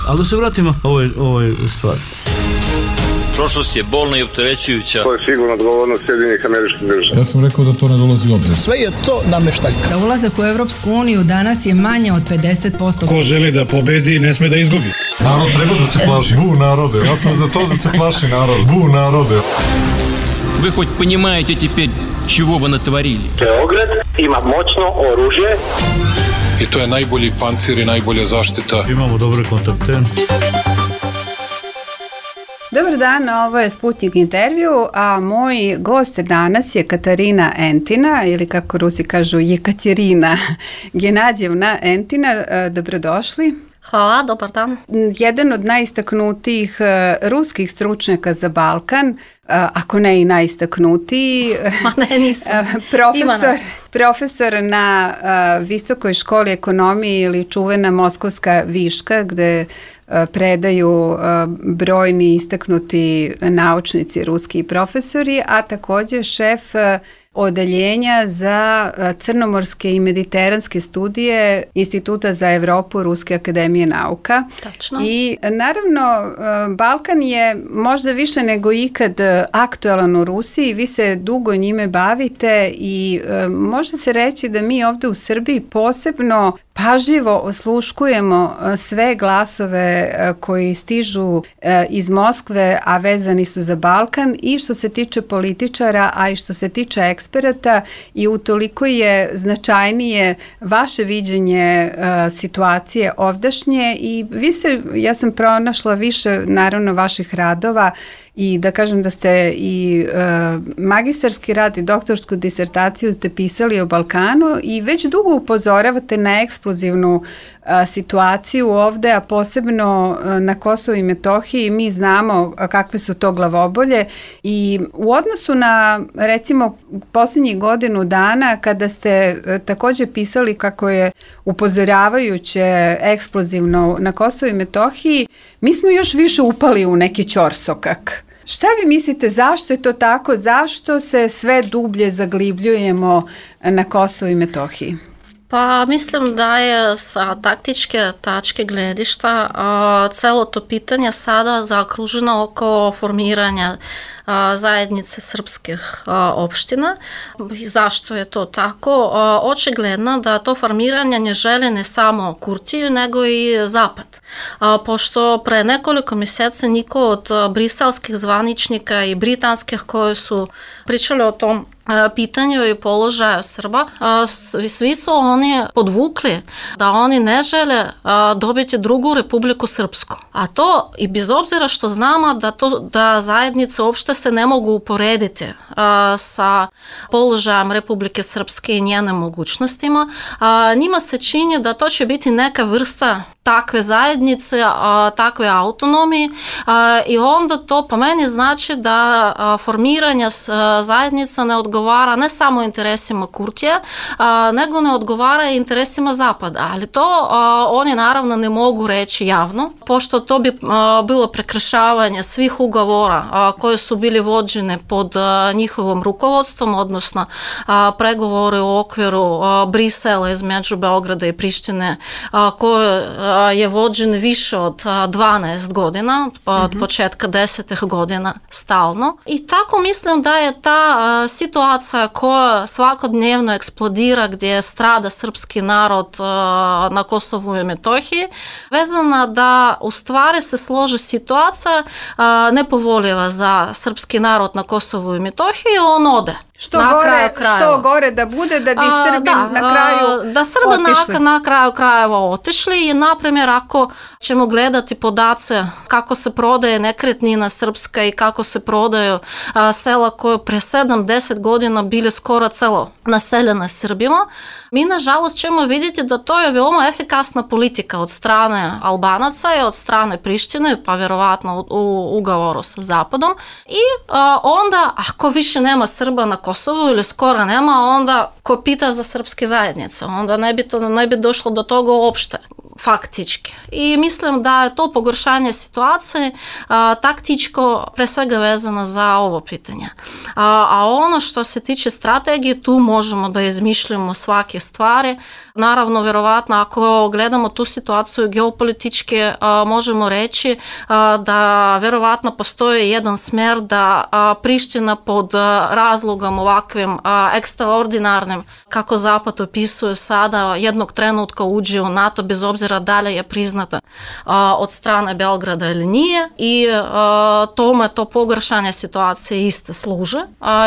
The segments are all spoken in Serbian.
Ali da se vratimo ovoj stvari. Prošlost je bolna i opterećujuća. To je sigurno odgovornost Sjedinjenih Američkih Država. Ja sam rekao da to ne dolazi u obzir. Sve je to nameštaljka. Za ulazak u Evropsku uniju danas je manje od 50%. Ko želi da pobedi, ne sme da izgubi. Narod treba da se plaši. Bu narode. Ja sam za to da se plaši narod. Bu narode. Вы хоть понимаете теперь, чего вы натворили? Beograd ima moćno oružje. I to je najbolji pancir i najbolja zaštita. Imamo dobre kontakte. Dobar dan, ovo je Sputnik intervju, a moj gost danas je Katarina Entina, ili kako Rusi kažu Jekaterina Genadjevna Entina. Dobrodošli. Hvala, dobar dan. Jedan od najistaknutijih ruskih stručnjaka za Balkan, ako ne i najistaknutiji, profesor na Visokoj školi ekonomije ili čuvena Moskovska Viška, gde predaju brojni istaknuti naučnici, ruski profesori, a također šef odeljenja za crnomorske i mediteranske studije Instituta za Evropu Ruske akademije nauka. Tačno. I naravno, Balkan je možda više nego ikad aktualan u Rusiji, vi se dugo njime bavite i može se reći da mi ovdje u Srbiji posebno pažljivo osluškujemo sve glasove koji stižu iz Moskve, a vezani su za Balkan, i što se tiče političara, a i što se tiče eksperata, i utoliko je značajnije vaše viđenje situacije ovdašnje. I vi ste, ja sam pronašla više naravno vaših radova, i da kažem da ste i magistarski rad i doktorsku disertaciju ste pisali o Balkanu i već dugo upozoravate na eksplozivnu situaciju ovde, a posebno na Kosovu i Metohiji. Mi znamo kakve su to glavobolje, i u odnosu na recimo posljednjih godinu dana kada ste također pisali kako je upozoravajuće eksplozivno na Kosovu i Metohiji, mi smo još više upali u neki ćorsokak. Šta vi mislite, zašto je to tako? Zašto se sve dublje zaglibljujemo na Kosovu i Metohiji? Pa mislim da je sa taktičke tačke gledišta celo to pitanje sada zaokruženo oko formiranja zajednice srpskih opština. Zašto je to tako? Očigledno da to formiranje ne želi ne samo Kurtiju, nego i Zapad. Pošto pre nekoliko mjeseci niko od briselskih zvaničnika i britanskih koji su pričali o tom pitanju i položaju Srba, svi su oni podvukli da oni ne žele dobiti drugu Republiku Srpsku. A to i bez obzira što znamo da zajednice uopšte se ne mogu uporediti sa položajem Republike Srpske i njenim mogućnostima, njima se čini da to će biti neka vrsta takve zajednice, takve autonomije, i onda to po meni znači da formiranje zajednica ne odgovara ne samo interesima Kurtija, nego ne odgovara i interesima Zapada. Ali to oni naravno ne mogu reći javno, pošto to bi bilo prekršavanje svih ugovora koje su bili vođene pod njihovom rukovodstvom, odnosno pregovore u okviru Brisela između Beograda i Prištine, koje je vođen više od 12 godina, od početka 10. godina stalno. I tako mislim da je ta situacija koja svakodnevno eksplodira, gdje strada srpski narod na Kosovu i Metohiji, vezana da u stvari se složi situacija nepovoljiva za srpski narod na Kosovu i Metohiji, on ode. Što gore da bude da bi Srbi na kraju da Srbi na kraju krajeva otišli. I na primjer, ako ćemo gledati podace kako se prodaje nekretnina srpska i kako se prodaju sela koje pre 7-10 godina bili skoro celo naseljene Srbima, mi nažalost ćemo vidjeti da to je veoma efikasna politika od strane Albanaca i od strane Prištine, pa vjerovatno u ugovoru sa Zapadom. I onda, ako više nema Srba na Kosovu ili skoro nema, onda ko pita za srpske zajednice, onda ne bi došlo do toga uopšte. faktički. I mislim da je to pogoršanje situacije taktičko pre svega vezano za ovo pitanje. A ono što se tiče strategije, tu možemo da izmišljamo svake stvari. Naravno, vjerovatno, ako gledamo tu situaciju geopolitički, možemo reći da vjerovatno postoji jedan smjer da Priština pod razlogom ovakvim ekstraordinarnim, kako Zapad opisuje sada, jednog trenutka uđe u NATO bez obzira da li je priznata od strane Beograda ili nije, i tome to pogoršanje situacije isto služe.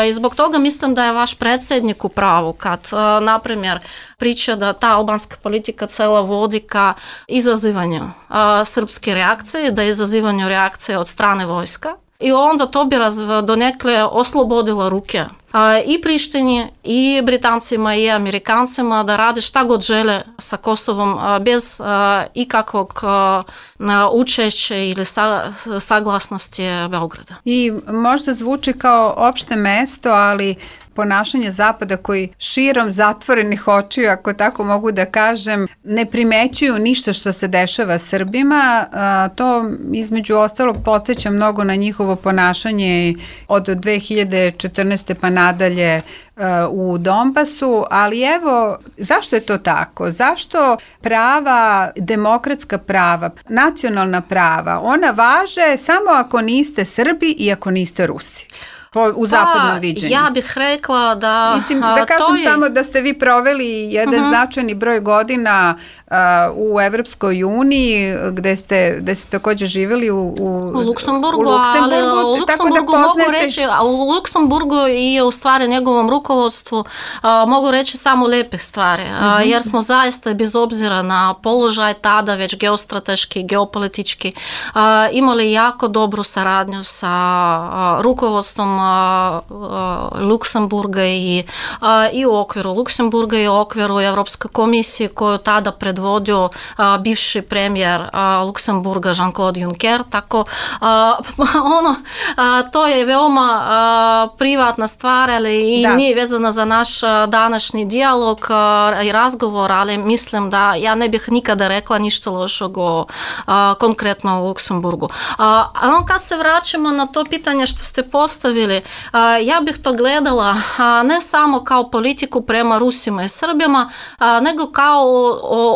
I zbog toga mislim da je vaš predsjednik u pravu kad, na primjer, priča da ta albanska politika cela vodi ka izazivanju srpske reakcije, da je izazivanju reakcije od strane vojska. I onda to bi donekle oslobodilo ruke i Prištini, i Britancima, i Amerikancima da rade šta god žele sa Kosovom bez ikakvog učešća ili saglasnosti Beograda. I možda zvuči kao opšte mesto, ali ponašanje Zapada koji širom zatvorenih očiju, ako tako mogu da kažem, ne primećuju ništa što se dešava Srbima. To između ostalog podsjeća mnogo na njihovo ponašanje od 2014. pa nadalje u Donbasu, ali evo, zašto je to tako? Zašto prava, demokratska prava, nacionalna prava, ona važe samo ako niste Srbi i ako niste Rusi? U zapadnom viđenju. Ja bih rekla da... Mislim, da kažem samo da ste vi proveli jedan značajni broj godina u Evropskoj uniji, gde ste također živjeli u Luksemburgu, ali u Luksemburgu mogu reći, a u Luksemburgu i u stvari njegovom rukovodstvu mogu reći samo lepe stvari, jer smo zaista bez obzira na položaj tada već geostrateški, geopolitički imali jako dobru saradnju sa rukovodstvom Luksemburga i u okviru Luksemburga i u okviru Evropske komisije koju tada predvodio bivši premijer Luksemburga Jean-Claude Juncker, tako to je veoma privatna stvar, ali i nije vezana za naš današnji dijalog i razgovor, ali mislim da ja ne bih nikada rekla ništa lošeg konkretno u Luksemburgu. Kad se vraćamo na to pitanje što ste postavili, ja bih to gledala ne samo kao politiku prema Rusima i Srbima, nego kao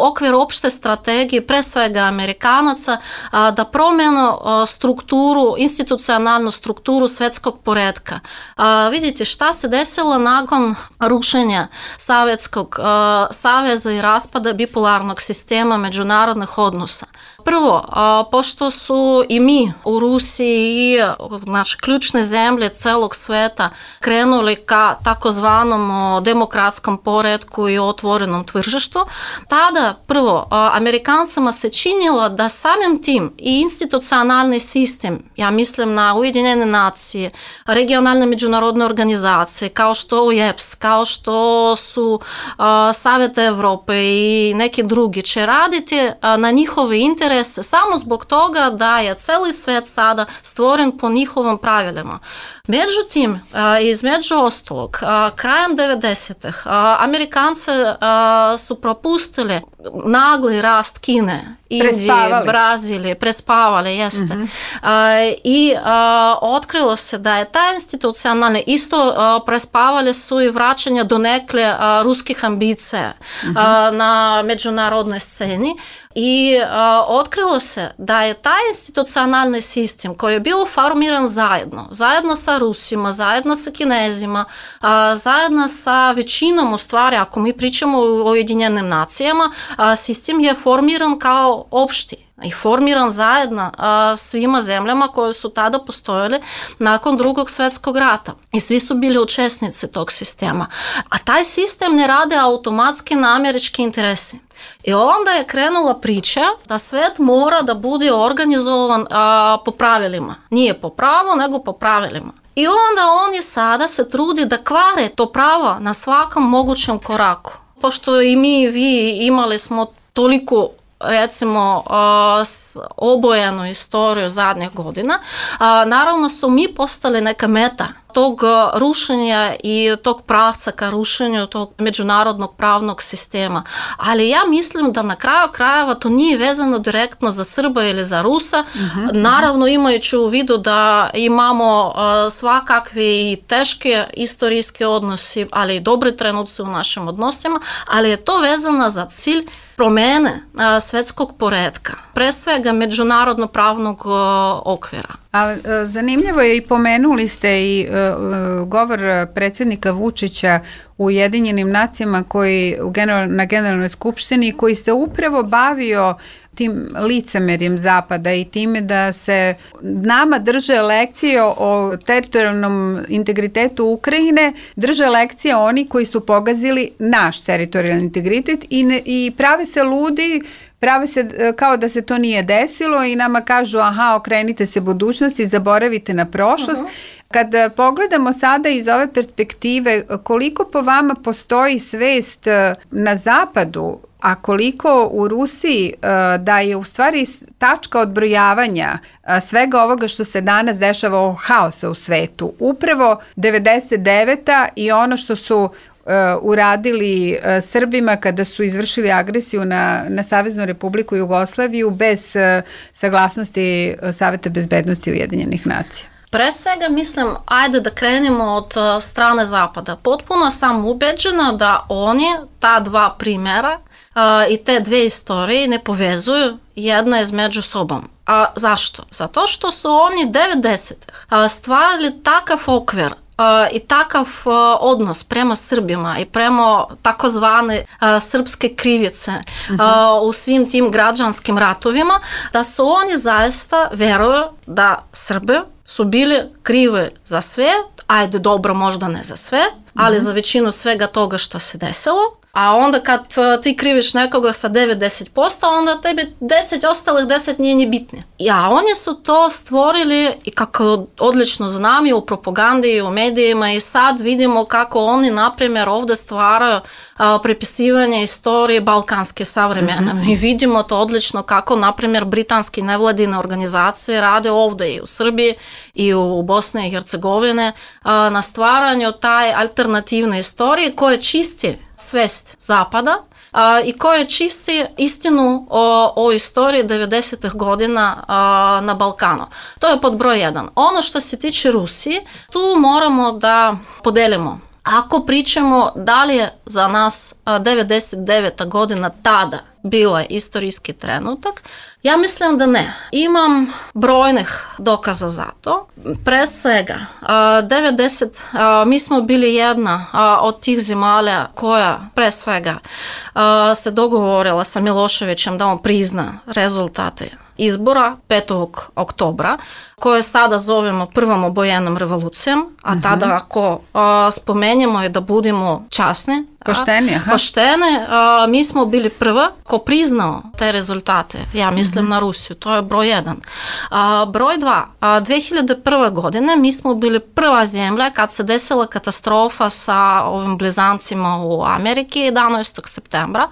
okvir opšte strategije, pre svega Amerikanaca, da promenu strukturu, institucionalnu strukturu svetskog poretka. Vidite šta se desilo nakon rušenja Sovjetskog saveza i raspada bipolarnog sistema međunarodnih odnosa. Prvo, pošto su i mi u Rusiji i naše ključne zemlje celog sveta krenuli ka takozvanom demokratskom poretku i otvorenom tržištu, tada prvo Amerikancima se činilo da samim tim i institucionalni sistem, ja mislim na Ujedinjene nacije, regionalne međunarodne organizacije kao što UEPS, kao što su Savjet Evrope i neki drugi, će raditi na njihove interese samo zbog toga da je celi svet sada stvoren po njihovim pravilima. Međutim, između ostalog, krajem 90-ih Amerikanci su propustili nagli rast Kine, Indije, Brazilije, prespavali, jeste. I otkrilo se da je ta institucionalna, isto prespavali su i vraćanje donekle ruskih ambicija na međunarodnoj sceni. I otkrilo se da je taj institucionalni sistem koji je bio formiran zajedno sa Rusima, zajedno sa Kinezima, zajedno sa većinom, u stvari, ako mi pričamo o Ujedinjenim nacijama, sistem je formiran kao opšti i formiran zajedno svima zemljama koje su tada postojale nakon Drugog svjetskog rata. I svi su bili učesnici tog sistema. A taj sistem ne rade automatski na američki interesi. I onda je krenula priča da svet mora da bude organizovan po pravilima. Nije po pravu, nego po pravilima. I onda oni sada se trudi da kvare to pravo na svakom mogućem koraku. Pošto i mi, vi imali smo toliko recimo obojenu istoriju zadnjih godina, naravno su mi postali neka meta tog rušenja i tog pravca ka rušenju tog međunarodnog pravnog sistema. Ali ja mislim da na kraju krajeva to nije vezano direktno za Srba ili za Rusa. Naravno, imajući u vidu da imamo svakakve i teške istorijske odnosi, ali i dobre trenutci u našim odnosima, ali je to vezano za cilj promene svetskog poretka, pre svega međunarodno pravnog okvira. A zanimljivo je i pomenuli ste i govor predsjednika Vučića u Ujedinjenim nacijama koji na Generalnoj skupštini koji se upravo bavio tim licemerjem Zapada i time da se nama drže lekcije o teritorijalnom integritetu Ukrajine, drže lekcije oni koji su pogazili naš teritorijalni integritet i prave se ludi, prave se kao da se to nije desilo i nama kažu aha, okrenite se budućnosti, zaboravite na prošlost. Kad pogledamo sada iz ove perspektive, koliko po vama postoji svest na Zapadu, a koliko u Rusiji da je u stvari tačka odbrojavanja svega ovoga što se danas dešava, ovog haosa u svetu, upravo 99. i ono što su uradili Srbima kada su izvršili agresiju na Saveznu Republiku Jugoslaviju bez saglasnosti Saveta bezbednosti Ujedinjenih nacija. Pre svega mislim, ajde da krenemo od strane Zapada. Potpuno sam ubeđena da oni ta dva primjera i te dve istorije ne povezuju jedna između sobom. A zašto? Zato što su oni 90-ih stvarali takav okvir i takav odnos prema Srbima i prema takozvane srpske krivice u svim tim građanskim ratovima, da su oni zaista veruju da Srbi su bili krivi za sve, ajde dobro možda ne za sve, ali za većinu svega toga što se desilo. A onda kad ti kriviš nekoga sa 90%, onda tebi ostalih 10 nije ni bitne. A oni su to stvorili i kako odlično znam i u propagandi i u medijima i sad vidimo kako oni, na primjer, ovdje stvaraju prepisivanje istorije balkanske savremene. Mi vidimo to odlično kako, na primjer, britanski nevladine organizacije rade ovdje i u Srbiji i u Bosni i Hercegovine na stvaranju taj alternativne istorije koje čisti svest Zapada i koje čisti istinu o istoriji 90-ih godina na Balkanu. To je pod broj 1. Ono što se tiče Rusije, tu moramo da podelimo. Ako pričamo da li je za nas 99. godina tada bila istorijski trenutak, ja mislim da ne. Imam brojnih dokaza za to. Pre svega, mi smo bili jedna od tih zemalja koja pre svega se dogovorila sa Miloševićem da on prizna rezultate izbora 5. oktobra, koje sada zovemo prvom obojenom revolucijom, a tada ako spomenemo i da budemo časni, pošteni, mi smo bili prva ko priznao te rezultate, ja mislim na Rusiju, to je broj 1. Broj 2, 2001. godine mi smo bili prva zemlja kad se desila katastrofa sa ovim blizancima u Ameriki 11. septembra.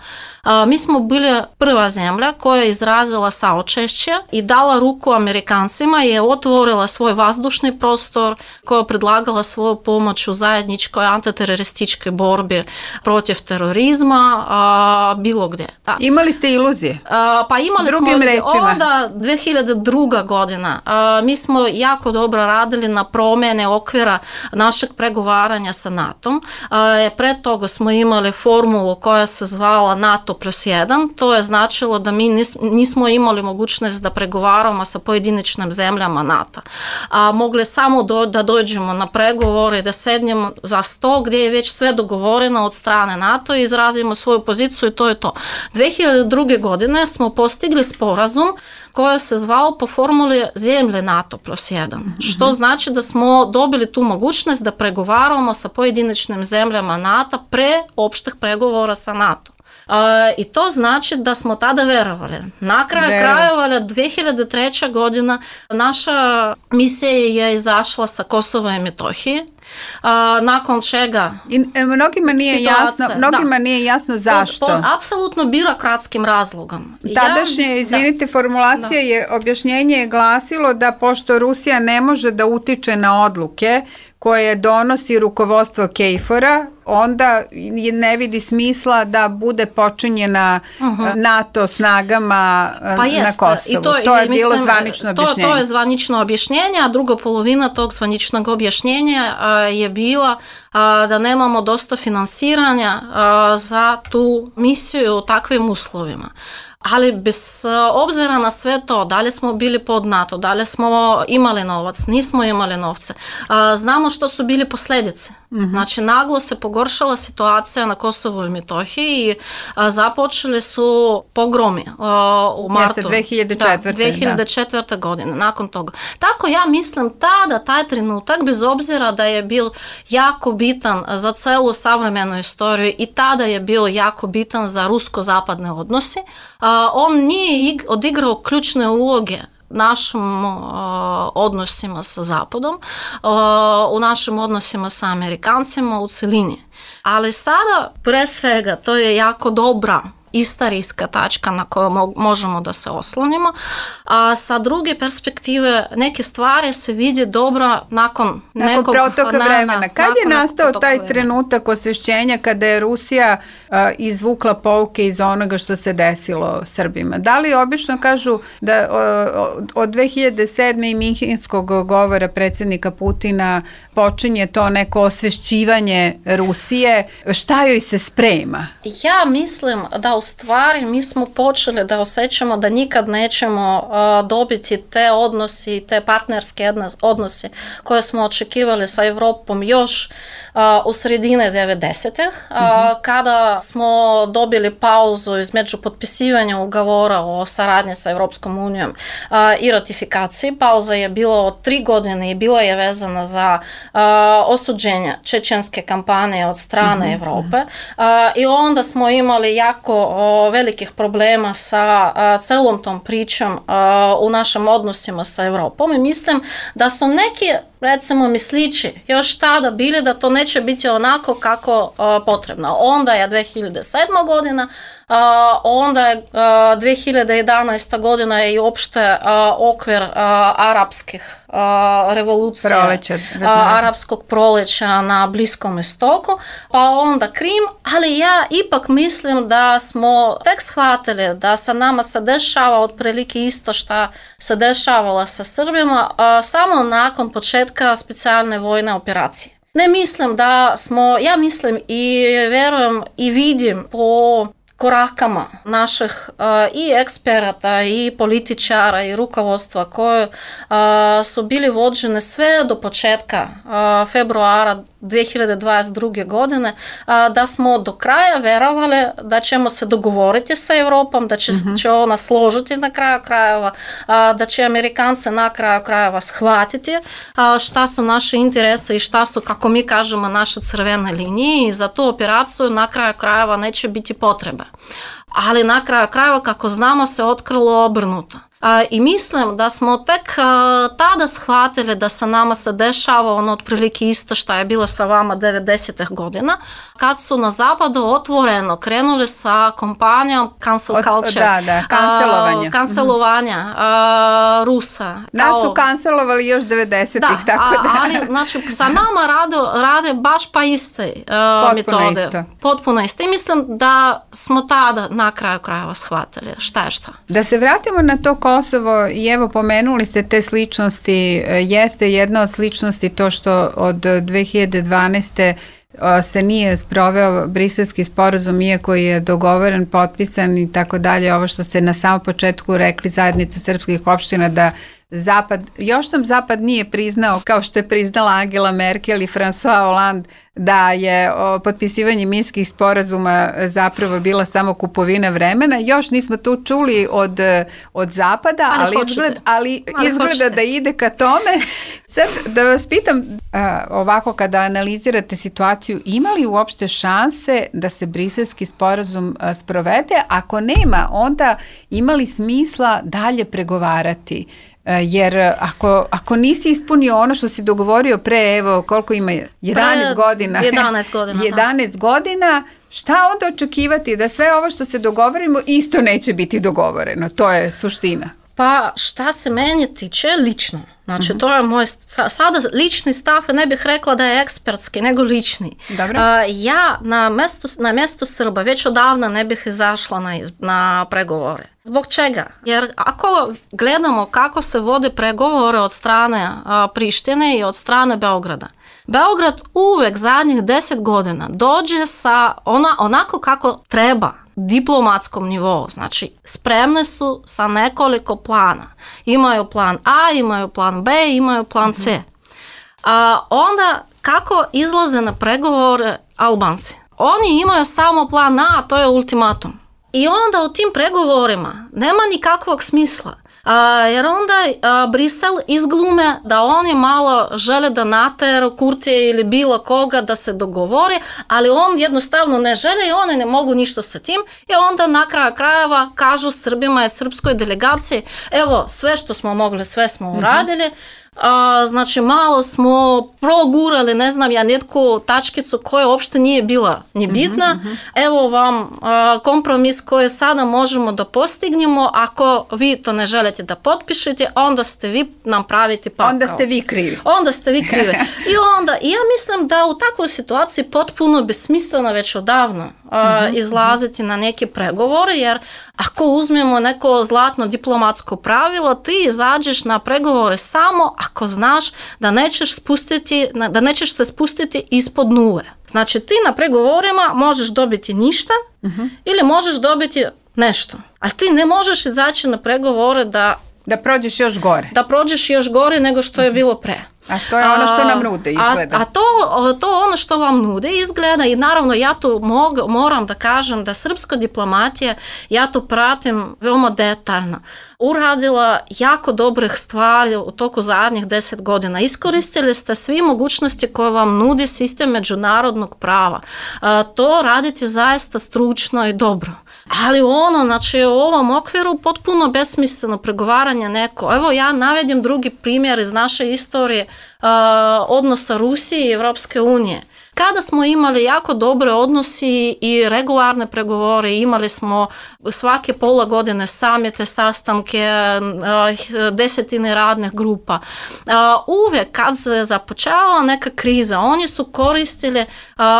Mi smo bili prva zemlja koja je izrazila saučešće i dala ruku Amerikancima i je otvorila svoj vazdušni prostor, koja je predlagala svoju pomoć u zajedničkoj antiterorističkoj borbi protiv terorizma, bilo gdje. Da. Imali ste iluzije? Pa imali Drugim smo rečima. onda 2002. godina. Mi smo jako dobro radili na promjene okvira našeg pregovaranja sa NATO-om. Pre toga smo imali formulu koja se zvala NATO +1. To je značilo da mi nismo imali mogućnost da pregovaramo sa pojedinačnim zemljama NATO. Mogli samo da dođemo na pregovore i da sednemo za sto gdje je već sve dogovoreno od strane NATO i izrazimo svoju poziciju i to je to. 2002. godine smo postigli sporazum koji se zvao po formuli zemlje NATO +1, što znači da smo dobili tu mogućnost da pregovaramo sa pojedinačnim zemljama NATO pre opštih pregovora sa NATO. I to znači da smo tada verovali. Na kraju krajeva 2003. godina naša misija je izašla sa Kosova i Metohije, nakon čega mnogima nije jasno zašto. Pod apsolutno birokratskim razlogom. Tadašnje, formulacija je, objašnjenje je glasilo da pošto Rusija ne može da utiče na odluke koje donosi rukovodstvo KFOR-a, onda ne vidi smisla da bude počinjena NATO snagama na Kosovu. To je bilo zvanično objašnjenje. To je zvanično objašnjenje, a druga polovina tog zvaničnog objašnjenja je bila da nemamo dosta finansiranja za tu misiju u takvim uslovima. Ali bez obzira na sve to, da li smo bili pod NATO, da li smo imali novac, nismo imali novce, znamo što su bili posljedice. Znači, naglo se pogoršala situacija na Kosovu i Metohiji i započeli su pogromi u martu. 2004. godine, nakon toga. Tako ja mislim taj trenutak, bez obzira da je bil jako bitan za celu savremenu istoriju i tada je bio jako bitan za rusko-zapadne odnosi, on nije odigrao ključne uloge našim odnosima sa Zapadom, u našim odnosima sa Amerikancima u celini. Ali sada, pre svega, to je jako dobra istorijska tačka na koju možemo da se oslonimo, a sa druge perspektive neke stvari se vidi dobro nakon nekog protoka vremena. Kad je nastao taj trenutak osvešćenja kada je Rusija izvukla pouke iz onoga što se desilo Srbima? Da li obično kažu da od 2007. i Minhenskog govora predsjednika Putina počinje to neko osvešćivanje Rusije? Šta joj se sprema? Ja mislim da u stvari mi smo počeli da osjećamo da nikad nećemo dobiti te odnosi, te partnerske odnose koje smo očekivali sa Evropom još u sredine 90-ih, kada smo dobili pauzu između potpisivanja ugovora o saradnji sa Evropskom unijom i ratifikaciji. Pauza je bila od 3 godine i bila je vezana za osuđenje čečenske kampanje od strane Evrope i onda smo imali jako velikih problema sa celom tom pričom u našim odnosima sa Evropom i mislim da su neki, recimo, mislići još tada bili da to neće biti onako kako potrebno. Onda je 2007. godina, onda je 2011. godina je i opšte okvir arapskih revolucija, arapskog proleća na Bliskom istoku, pa onda Krim, ali ja ipak mislim da smo tek shvatili da sa nama se dešava otprilike isto što se dešavalo sa Srbima samo nakon početka specijalne vojne operacije. Ne mislim da smo, ja mislim i verujem i vidim po korakama naših i eksperata i političara i rukovodstva koje su bili vođene sve do početka februara 2022. godine, da smo do kraja verovali da ćemo se dogovoriti sa Evropom, da će ona složiti na kraju krajeva, da će Amerikanci na kraju krajeva shvatiti šta su naše interese i šta su, kako mi kažemo, naše crvene linije i za tu operaciju na kraju krajeva neće biti potrebe. Ali na kraju krajeva, kako znamo, se otkrilo obrnuto. I mislim da smo tek tada shvatili da sa nama se dešava ono otprilike isto što je bilo sa vama 90-ih godina, kad su na zapadu otvoreno krenuli sa kompanijom cancel culture, kancelovanja Rusa. Nas su kancelovali još 90-ih, tako da. Ali znači, sa nama rade baš pa iste metode. Potpuno isto. I mislim da smo tada na kraju krajeva shvatili šta je šta. Da se vratimo na to Kosovo i evo pomenuli ste te sličnosti, jeste jedna od sličnosti to što od 2012. se nije sproveo briselski sporazum, iako je dogovoren, potpisan i tako dalje, ovo što ste na samom početku rekli, zajednica srpskih opština, da Zapad, još nam Zapad nije priznao, kao što je priznala Angela Merkel i François Hollande, da je potpisivanje minskih sporazuma zapravo bila samo kupovina vremena. Još nismo tu čuli od Zapada, ali izgleda da ide ka tome. Sad da vas pitam, ovako kada analizirate situaciju, ima li uopšte šanse da se briselski sporazum sprovede? Ako nema, onda ima li smisla dalje pregovarati? Jer ako nisi ispunio ono što si dogovorio pre, evo koliko ima, 11 godina. 11 godina, šta onda očekivati da sve ovo što se dogovorimo isto neće biti dogovoreno? To je suština. Pa šta se meni tiče lično, znači to je moj sada lični stav, ne bih rekla da je ekspertski, nego lični. Ja na mjestu Srba već odavno ne bih izašla na pregovore. Zbog čega? Jer ako gledamo kako se vode pregovore od strane Prištine i od strane Beograda, Beograd uvek zadnjih 10 godina dođe sa onako kako treba, diplomatskom nivou, znači spremne su sa nekoliko plana. Imaju plan A, imaju plan B, imaju plan C. Onda kako izlaze na pregovore Albanci? Oni imaju samo plan A, a to je ultimatum. I onda u tim pregovorima nema nikakvog smisla. Jer onda Brisel izglume da oni malo žele da nateru Kurtija ili bilo koga da se dogovore, ali on jednostavno ne žele i oni ne mogu ništa sa tim i onda na kraju krajeva kažu Srbima i srpskoj delegaciji, evo sve što smo mogli, sve smo uradili, znači malo smo progurali, ne znam ja, netku tačkicu koja uopšte nije bila ni bitna. Evo vam kompromis koji sada možemo da postignemo, ako vi to ne želite da potpišete, onda ste vi nam praviti pakao. Onda ste vi krivi. I ja mislim da u takvoj situaciji potpuno besmisleno već odavno izlaziti na neke pregovore, jer ako uzmemo neko zlatno diplomatsko pravilo, ti izađeš na pregovore samo ako znaš da nećeš se spustiti ispod nule. Znači ti na pregovorima možeš dobiti ništa ili možeš dobiti nešto, ali ti ne možeš izaći na pregovore da prođeš još gore. Da prođeš još gore nego što je bilo pre. A to je ono što nam nude izgleda. A to ono što vam nude izgleda i naravno ja tu moram da kažem da srpska diplomatija, ja to pratim veoma detaljno, uradila jako dobrih stvari u toku zadnjih 10 godina. Iskoristili ste svi mogućnosti koje vam nudi sistem međunarodnog prava. To raditi zaista stručno i dobro. Ali znači u ovom okviru potpuno besmisleno pregovaranje neko. Evo ja navedim drugi primjer iz naše istorije odnosa Rusije i Evropske unije. Kada smo imali jako dobre odnosi i regularne pregovore, imali smo svake pola godine samite, sastanke, desetine radnih grupa. Uvijek kad se započela neka kriza, oni su koristili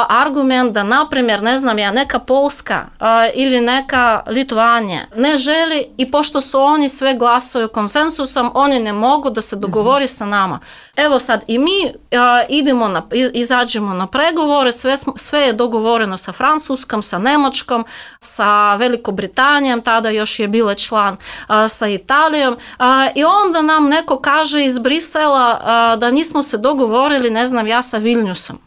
argument da, na primjer, ne znam ja, neka Poljska ili neka Litvanija ne želi i pošto su oni sve glasuju konsensusom, oni ne mogu da se dogovori sa nama. Evo sad i mi izađemo na pregovore, sve je dogovoreno sa Francuskom, sa Njemačkom, sa Velikobritanijom, tada još je bila član, sa Italijom i onda nam neko kaže iz Brisela da nismo se dogovorili, ne znam ja, sa Vilniusom.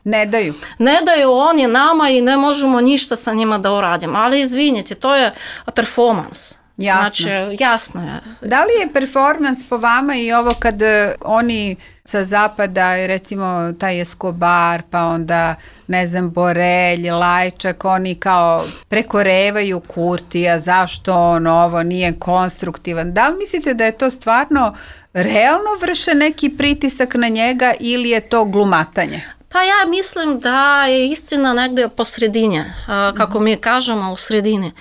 Ne daju oni nama i ne možemo ništa sa njima da uradimo, ali izvinite, to je performans. Jasno. Znači, jasno je. Da li je performans po vama i ovo kad oni sa zapada, recimo taj Escobar, pa onda, ne znam, Borelj, Lajčak, oni kao prekorevaju Kurtija, zašto on ovo nije konstruktivan? Da li mislite da je to stvarno realno vrše neki pritisak na njega ili je to glumatanje? Pa ja mislim da je istina negdje po sredini, kako mi kažemo u sredini.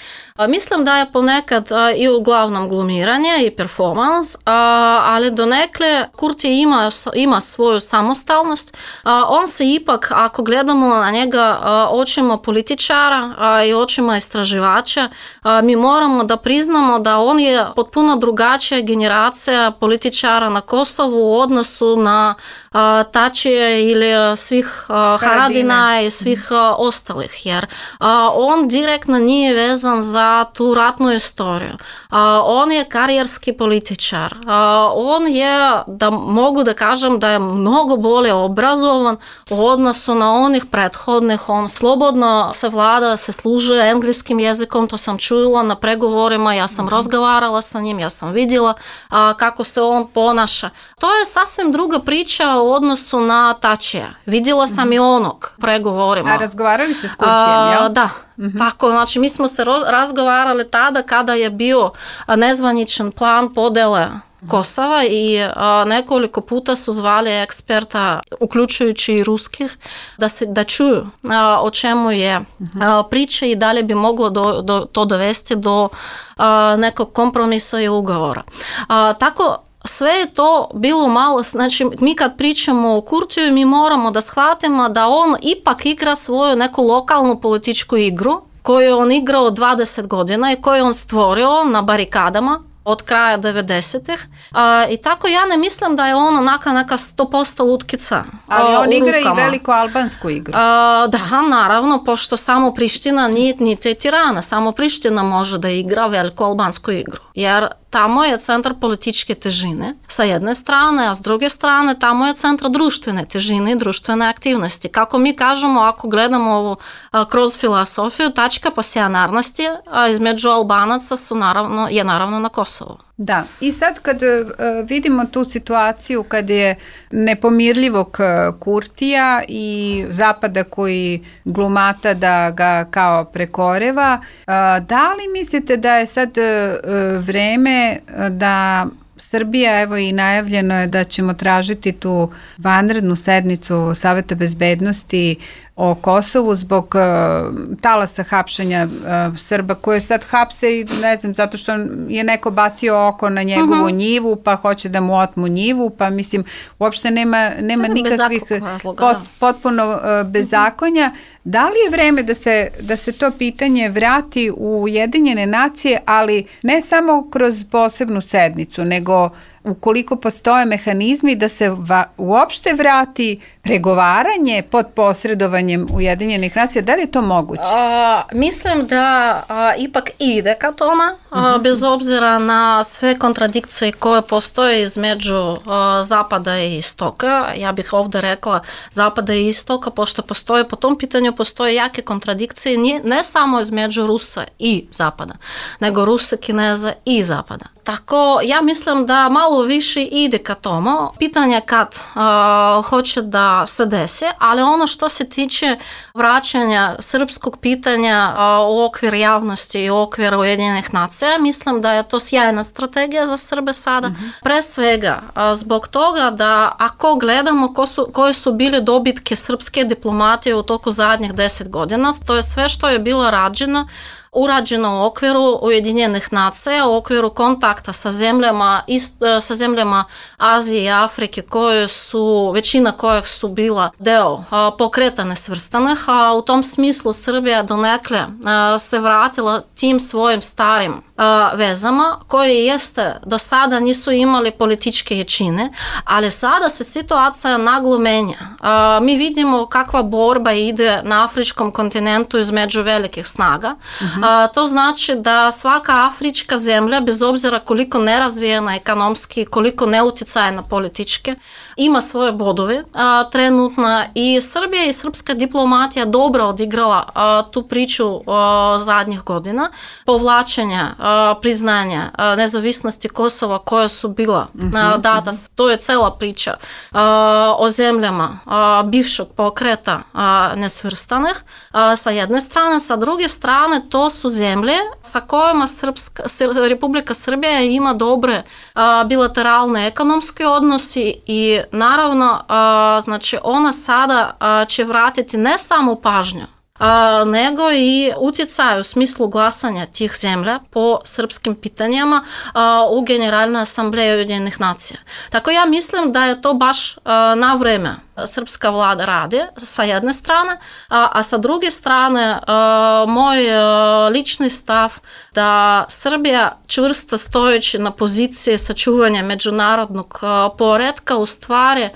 Mislim da je ponekad i uglavnom glumiranje i performans, ali donekle Kurti ima svoju samostalnost. On se ipak, ako gledamo na njega očima političara i očima istraživača, mi moramo da priznamo da on je potpuno drugačija generacija političara na Kosovu u odnosu na Tačije ili svih Haradina i svih ostalih, jer on direktno nije vezan za tu ratnu istoriju. On je karijerski političar. On je, da mogu da kažem, da je mnogo bolje obrazovan u odnosu na onih prethodnih. On slobodno se vlada, se služi engleskim jezikom, to sam čula na pregovorima, ja sam razgovarala sa njim, ja sam vidjela kako se on ponaša. To je sasvim druga priča u odnosu na Tačija. Vidjela sam i onog pregovorima. A razgovarali ste s Kurtijem, jel? Da. Tako, znači mi smo se razgovarali tada kada je bio nezvaničan plan podele Kosova i nekoliko puta su zvali eksperta, uključujući i ruskih, da čuju o čemu je priča i da li bi moglo to dovesti do nekog kompromisa i ugovora. Tako sve je to bilo malo, znači mi kad pričamo o Kurtiju mi moramo da shvatimo da on ipak igra svoju neku lokalnu političku igru koju je on igrao 20 godina i koju je on stvorio na barikadama od kraja 90-ih. I tako ja ne mislim da je on onaka neka 100% lutkica. Ali on igra i veliko albansku igru. Da, naravno, pošto samo Priština nije Tirana, samo Priština može da igra veliko albansku igru. Jer tamo je centar političke težine sa jedne strane, a s druge strane tamo je centar društvene težine i društvene aktivnosti. Kako mi kažemo, ako gledamo ovo kroz filosofiju, tačka passionarnosti između Albanaca je naravno na Kosovu. Da, i sad kad vidimo tu situaciju kad je nepomirljivog Kurtija i Zapada koji glumata da ga kao prekoreva, da li mislite da je sad vreme da Srbija, evo i najavljeno je da ćemo tražiti tu vanrednu sednicu Saveta bezbednosti o Kosovu zbog talasa hapšenja Srba koje sad hapse i ne znam, zato što je neko bacio oko na njegovu njivu pa hoće da mu otmu njivu, pa mislim uopšte nema nikakvih potpuno bezakonja. Da li je vreme da se to pitanje vrati u Ujedinjene nacije, ali ne samo kroz posebnu sednicu, nego ukoliko postoje mehanizmi da se uopšte vrati pregovaranje pod posredovanjem Ujedinjenih nacija, da li je to moguće? Mislim da ipak ide ka tome, bez obzira na sve kontradikcije koje postoje između Zapada i Istoka. Ja bih ovdje rekla Zapada i Istoka, pošto postoje po tom pitanju postoje jake kontradikcije ne samo između Rusa i Zapada, nego Rusa, Kineza i Zapada. Tako, ja mislim da malo više ide ka tomu. Pitanje kad hoće da se desi, ali ono što se tiče vraćanja srpskog pitanja u okvir javnosti i u okvir Ujedinjenih nacija, mislim da je to sjajna strategija za Srbe sada. Pre svega, zbog toga da ako gledamo koje su bile dobitke srpske diplomatije u toku zadnjih 10 godina, to je sve što je bilo urađeno u okviru Ujedinjenih nacija, u okviru kontakta sa zemljama Azije i Afrike većina kojih su bila deo pokreta nesvrstanih, a u tom smislu Srbija donekle se vratila tim svojim starim vezama koje jeste do sada nisu imali političke jačine, ali sada se situacija naglo menja. Mi vidimo kakva borba ide na afričkom kontinentu između velikih snaga. To znači da svaka afrička zemlja, bez obzira koliko nerazvijena ekonomski, koliko neuticajna političke, ima svoje bodove trenutno i Srbija i srpska diplomatija dobro odigrala tu priču zadnjih godina, povlačenja priznanja nezavisnosti Kosova koja su bila data. To je cela priča o zemljama bivšeg pokreta nesvrstanih sa jedne strane, sa druge strane to su zemlje sa kojima Republika Srbija ima dobre bilateralne ekonomske odnosi i naravno znači ona sada će vratiti ne samo pažnju nego i utjecaj u smislu glasanja tih zemlja po srpskim pitanjima u Generalnoj asambleji Ujedinjenih nacija. Tako ja mislim da je to baš na vreme srpska vlada radi sa jedne strane, a sa druge strane moj lični stav da Srbija čvrsto stojeći na poziciji sačuvanja međunarodnog poretka u stvari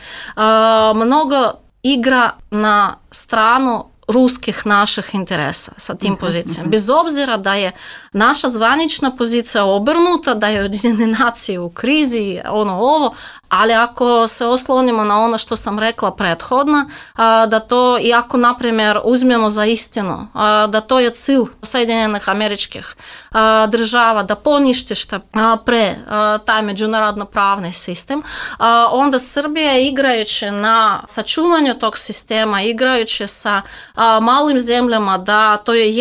mnogo igra na stranu ruskih naših interesa sa tim pozicijama. Bez obzira da je naša zvanična pozicija obrnuta, da je Ujedinjene nacije u krizi, ovo, ali ako se oslonimo na ono što sam rekla prethodno, da to, i ako, na primjer, uzmemo za istinu, da to je cilj Sjedinjenih Američkih država, da ponište što pre taj međunarodno-pravni sistem, onda Srbija igrajući na sačuvanju tog sistema, igrajući sa malim zemljama, da to je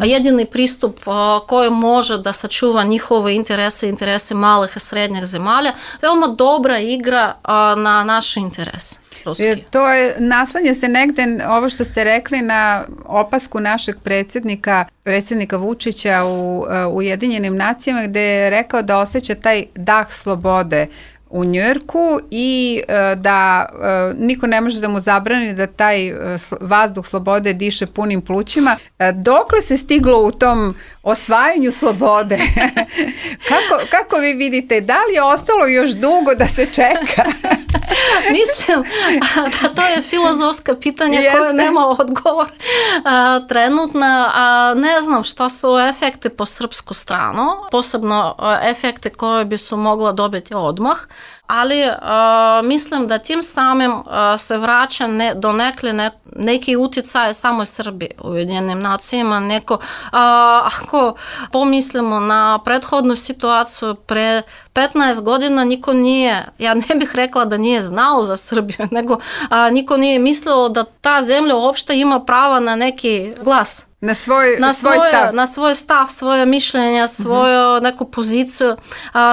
jedini pristup koji može da sačuva njihove interese malih i srednjih zemalja, veoma dobra igra na naše interese. To je, naslanja se negde, ovo što ste rekli, na opasku našeg predsjednika Vučića u Ujedinjenim nacijama, gde je rekao da osjeća taj dah slobode u Njujorku i da niko ne može da mu zabrani da taj vazduh slobode diše punim plućima. Dokle se stiglo u tom osvajanju slobode? Kako vi vidite? Da li je ostalo još dugo da se čeka? Mislim da to je filozofska pitanja koje nema odgovor trenutno. Ne znam šta su efekti po srpsku stranu, posebno efekte koje bi su mogla dobiti odmah, ali mislim da tim samim se vraća do neki utjecaj samoj Srbiji u Ujedinjenim nacijama. Ako pomislimo na prethodnu situaciju, pre 15 godina niko nije, ja ne bih rekla da nije znao za Srbiju, nego niko nije mislio da ta zemlja uopšte ima prava na neki glas. Na svoj stav, svoje mišljenja, svoju neku poziciju.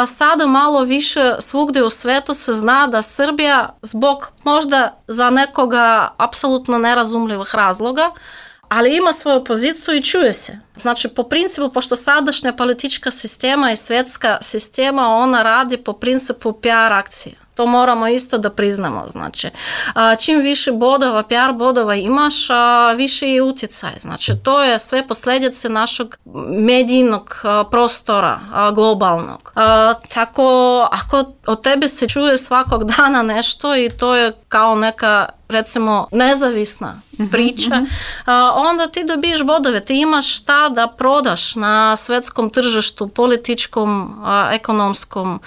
Sada malo više svugdje u svetu se zna da Srbija zbog možda za nekoga apsolutno nerazumljivih razloga, ali ima svoju poziciju i čuje se. Znači, po principu, pošto sadašnja politička sistema i svjetska sistema, ona radi po principu PR akcije. To moramo isto da priznamo. Znači, čim više bodova, PR bodova imaš, više je utjecaj. Znači, to je sve posljedice našeg medijnog prostora, globalnog. Tako, ako od tebe se čuje svakog dana nešto i to je kao neka, recimo, nezavisna priča, onda ti dobiješ bodove. Ti imaš šta da prodaš na svjetskom tržištu, političkom, ekonomskom,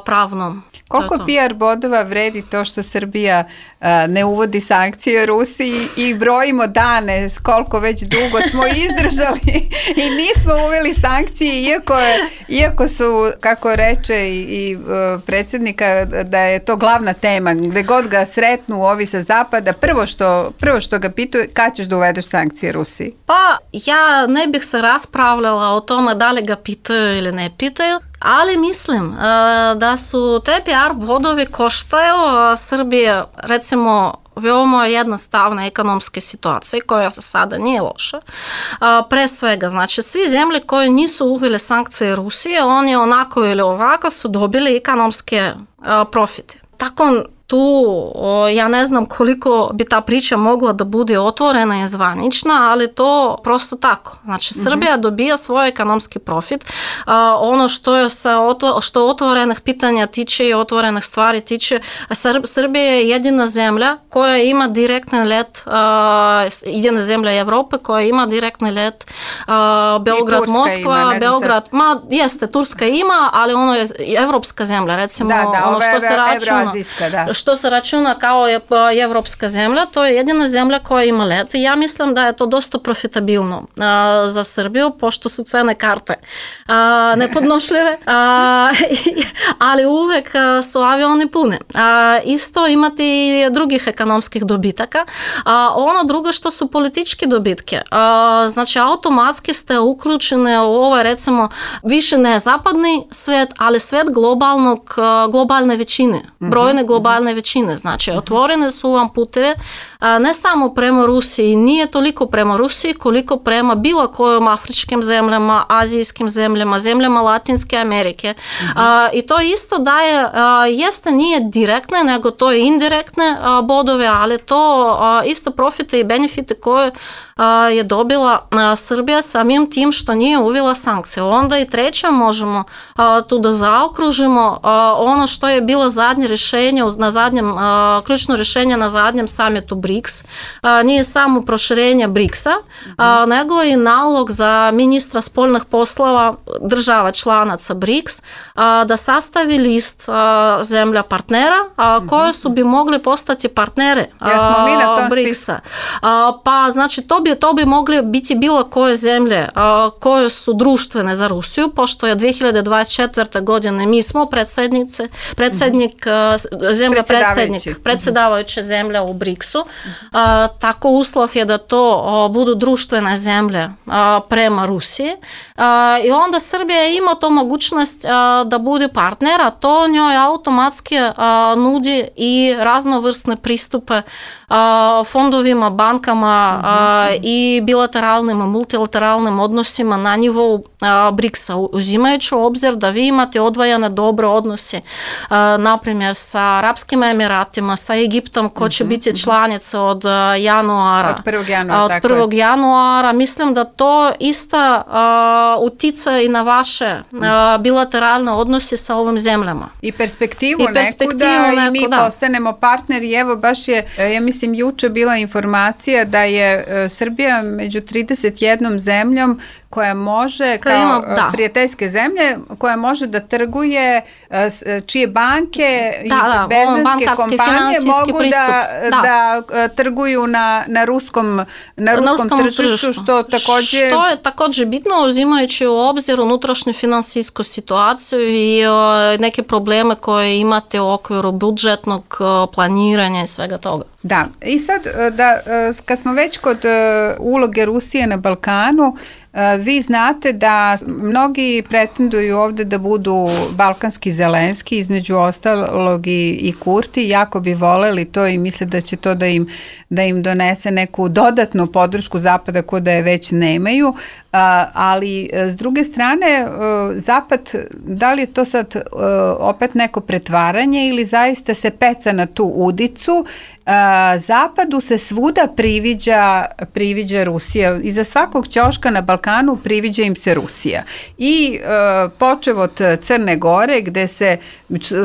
pravnom. Koliko PR bodova vredi to što Srbija ne uvodi sankcije Rusiji i brojimo dane koliko već dugo smo izdržali i nismo uveli sankcije, iako su, kako reče i predsjednika, da je to glavna tema, gdje god ga sretnu ovi sa zapada, prvo što ga pitaju, kad ćeš da uvedeš sankcije Rusiji? Pa ja ne bih se raspravljala o tome da li ga pitaju ili ne pitaju, ali mislim da su te PR bodovi koštaju Srbije, recimo, veoma jednostavne ekonomske situacije koja se sada nije loša. Pre svega, znači, svi zemlje koje nisu uvele sankcije Rusije, oni onako ili ovako su dobili ekonomske profite. Tako tu ja ne znam koliko bi ta priča mogla da bude otvorena i zvanična, ali to prosto tako. Znači, Srbija dobija svoj ekonomski profit. Ono što otvorenih pitanja tiče i otvorenih stvari tiče, Srbija je jedina zemlja koja ima direktni let, jedina zemlja Evrope koja ima direktni let Beograd-Moskva, Beograd, Turska ima, ali ono je evropska zemlja, recimo, ono što se računa. Što se računa kao evropska zemlja, to je jedina zemlja koja ima let i ja mislim da je to dosta profitabilno za Srbiju, pošto su cene karte nepodnošljive, ali uvek su avioni pune. Isto imati drugih ekonomskih dobitaka. Ono drugo što su političke dobitke. Znači, automatski ste uključeni u ovaj, recimo, više ne zapadni svet, ali svet globalne većine, brojne globalne većine. Znači, otvorene su vam puteve ne samo prema Rusiji, nije toliko prema Rusiji koliko prema bilo kojim afričkim zemljama, azijskim zemljama, zemljama Latinske Amerike. I to isto daje, nije direktne, nego to je indirektne bodove, ali to isto profite i benefite koje je dobila Srbija samim tim što nije uvela sankcije. Onda i treće možemo tu da zaokružimo ono što je bilo zadnje rješenje ključno rješenje na zadnjem samitu BRICS. Nije samo proširenje BRICS-a, nego i nalog za ministra spoljnih poslova država članaca BRICS da sastavi list zemlja partnera koje su bi mogli postati partnere BRICS-a. Pa znači to bi mogli biti bilo koje zemlje koje su društvene za Rusiju, pošto je 2024. godine mi smo predsjednik zemlja predsjedavajuća zemlja u BRICS-u. Tako uslov je da to budu društvene zemlje prema Rusiji. I onda Srbija ima to mogućnost da bude partner, a to njoj automatski nudi i raznovrsne pristupe fondovima, bankama i bilateralnim, multilateralnim odnosima na nivou BRICS-a, uzimajući u obzir da vi imate odvojene dobre odnose, naprimjer sa Arapskim Emiratima, sa Egiptom, ko će biti članica od januara. Od 1. januara, od 1. januara. Mislim da to isto utiče i na vaše bilateralne odnose sa ovim zemljama. I perspektivu neku da i mi postanemo partneri. Evo baš je, ja mislim, juče bila informacija da je Srbija među 31 zemljom koja može, kao prijateljske zemlje, koja može da trguje, čije banke i benzinske kompanije mogu da trguju na ruskom tržištu, što također... Što je također bitno, uzimajući u obzir unutrašnju finansijsku situaciju i neke probleme koje imate u okviru budžetnog planiranja i svega toga. Da, i sad, kad smo već kod uloge Rusije na Balkanu, vi znate da mnogi pretenduju ovdje da budu balkanski Zelenski, između ostalog i Kurti, jako bi voleli to i misle da će to da im donese neku dodatnu podršku Zapada koju da je već nemaju, ali s druge strane Zapad, da li je to sad opet neko pretvaranje ili zaista se peca na tu udicu? Zapadu se svuda priviđa Rusija. Iza svakog ćoška na Balkanu priviđa im se Rusija. I počev od Crne Gore, gde se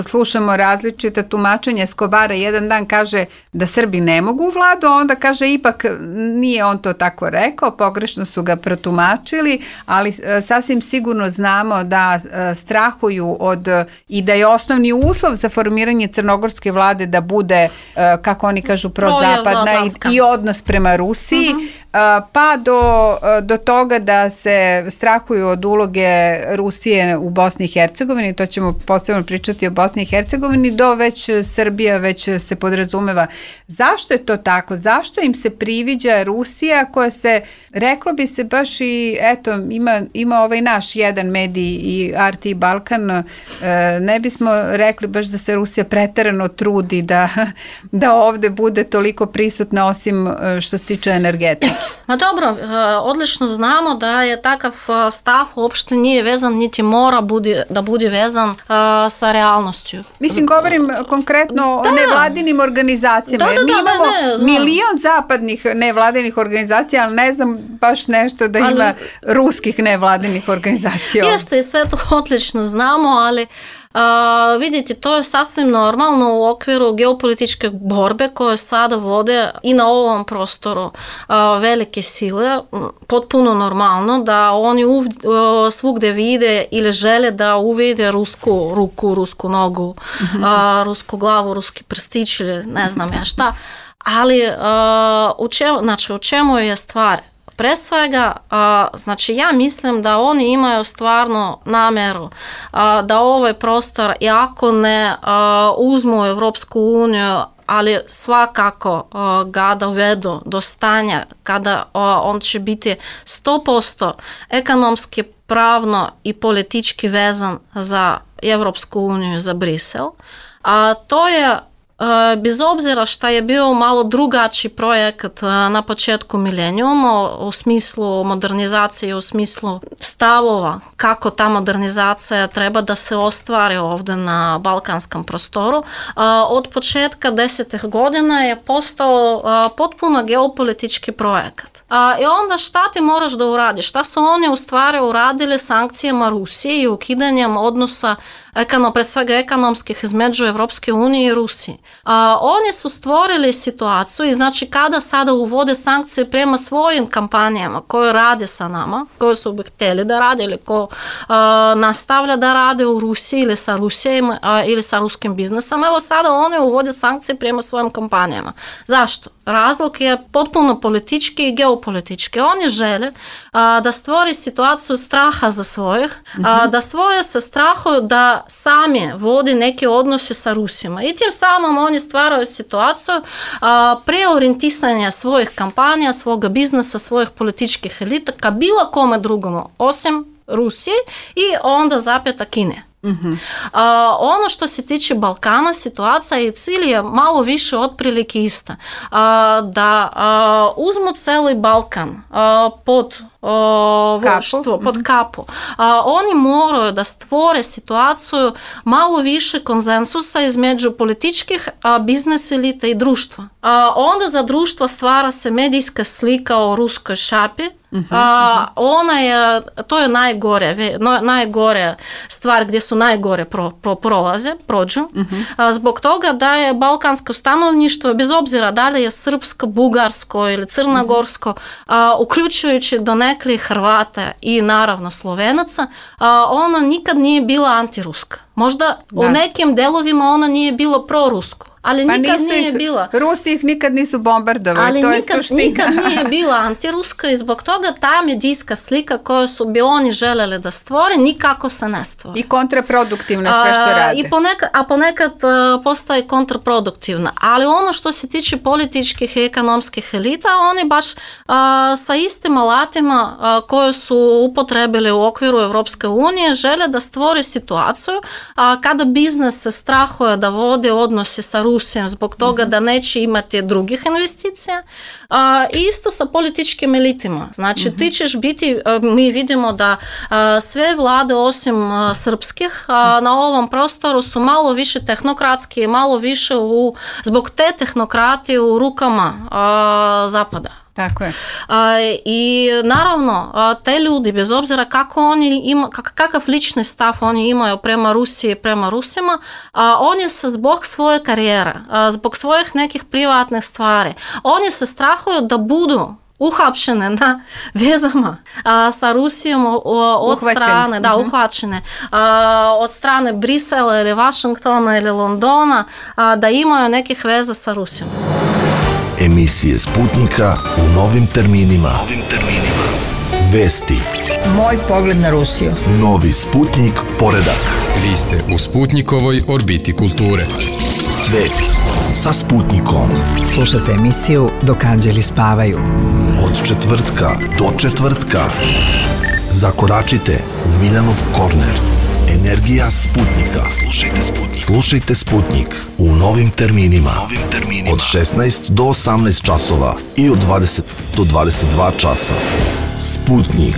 slušamo različita tumačenja Eskobara, jedan dan kaže da Srbi ne mogu u vladu, a onda kaže ipak nije on to tako rekao, pogrešno su ga protumačili, ali sasvim sigurno znamo da strahuju i da je osnovni uslov za formiranje crnogorske vlade da bude, kako oni kažu, prozapadna i odnos prema Rusiji, pa do toga da se strahuju od uloge Rusije u Bosni i Hercegovini, to ćemo posebno pričati o Bosni i Hercegovini, do već Srbija već se podrazumeva. Zašto je to tako? Zašto im se priviđa Rusija koja se, reklo bi se baš i, eto, ima ovaj naš jedan medij i RT Balkan, ne bismo rekli baš da se Rusija preterano trudi da ovdje bude toliko prisutna osim što se tiče energetike. Ma dobro, odlično znamo da je takav stav uopšte nije vezan, niti mora da bude vezan sa realnošću. Mislim, govorim konkretno o nevladinim organizacijama. Mi imamo milion zapadnih nevladinih organizacija, ali ne znam baš nešto da ima ruskih nevladinih organizacija. Jeste, i sve to odlično znamo, ali vidite, to je sasvim normalno u okviru geopolitičke borbe koje sada vode i na ovom prostoru velike sile, potpuno normalno da oni svugde vide ili žele da uvide rusku ruku, rusku nogu, rusku glavu, ruski prstić ili ne znam ja šta, ali u čemu je stvar? Pre svega, znači ja mislim da oni imaju stvarno namjeru da ovaj prostor, iako ne uzmu u Evropsku uniju, ali svakako ga dovedu do stanja kada on će biti 100% ekonomski, pravno i politički vezan za Evropsku uniju, za Brisel. To je bez obzira što je bio malo drugačiji projekat na početku milenijuma u smislu modernizacije, u smislu stavova kako ta modernizacija treba da se ostvari ovdje na balkanskom prostoru, od početka 10. godina je postao potpuno geopolitički projekat. I onda šta ti moraš da uradiš? Šta su oni u stvari uradili sankcijama Rusije i ukidanjem odnosa pre svega ekonomskih između Evropske unije i Rusije. Oni su stvorili situaciju i znači kada sada uvode sankcije prema svojim kampanijama koje rade sa nama, koje su bi htjeli da rade ili ko nastavlja da rade u Rusiji ili sa Rusijom ili sa ruskim biznesom, evo sada oni uvode sankcije prema svojim kampanijama. Zašto? Razlog je potpuno politički i geopolitički. Oni žele da stvori situaciju straha za svojih, da svoje se strahuju da sami vodi neke odnose sa Rusima i tim samom uglavnom oni stvaraju situaciju preorijentisanja svojih kampanja, svoga biznesa, svojih političkih elita ka bilo kome drugomu, osim Rusije i onda zapeta Kine. Ono što se tiče Balkana, situacija i cilj je malo više otprilike ista. Da uzmu cijeli Balkan pod vodstvo, pod kapu. Oni moraju da stvore situaciju malo više konsensusa između političkih, biznes elita i društva. Onda za društvo stvara se medijska slika o ruskoj šapi. To je najgore stvar gdje su najgore prođu. Zbog toga da je balkansko stanovništvo, bez obzira da li je srpsko, bugarsko ili crnogorsko, uključujući do nekih Hrvata i naravno Slovenaca, ona nikad nije bila antiruska. Možda u nekim delovima ona nije bilo prorusko. Ali nikad nije bila. Rusi ih nikad nisu bombardovali, ali to je suština. Nikad nije bila antiruska i zbog toga ta medijska slika koju bi oni željeli da stvore, nikako se ne stvori. I kontraproduktivna sve što rade. Ponekad postaje kontraproduktivna. Ali ono što se tiče političkih i ekonomskih elita, oni baš sa istim alatima koje su upotrebili u okviru Evropske unije žele da stvori situaciju kada biznes se strahuje da vode odnose sa Rusijom zbog toga da neće imati drugih investicija. Isto sa političkim elitima. Znači ti ćeš biti, mi vidimo da sve vlade osim srpskih na ovom prostoru su malo više tehnokratski, malo više zbog te tehnokratije u rukama Zapada. Tako je. I naravno, te ljudi, bez obzira kakav lični stav oni imaju prema Rusiji i prema Rusima, oni se zbog svoje karijere, zbog svojih nekih privatnih stvari, oni se strahuju da budu uhapšene na vezama sa Rusijom od strane, uhvaćene od strane Brisela ili Vašingtona ili Londona, da imaju nekih veza sa Rusijom. Emisije Sputnika u novim terminima. Vesti. Moj pogled na Rusiju. Novi Sputnik poredak. Vi ste u Sputnikovoj orbiti kulture. Svet sa Sputnikom. Slušajte emisiju Dok anđeli spavaju. Od četvrtka do četvrtka. Zakoračite u Miljanov korner. Energija Sputnika. Slušajte Sputnik u novim terminima. Od 16 do 18 časova i od 20 do 22 časa. Sputnik.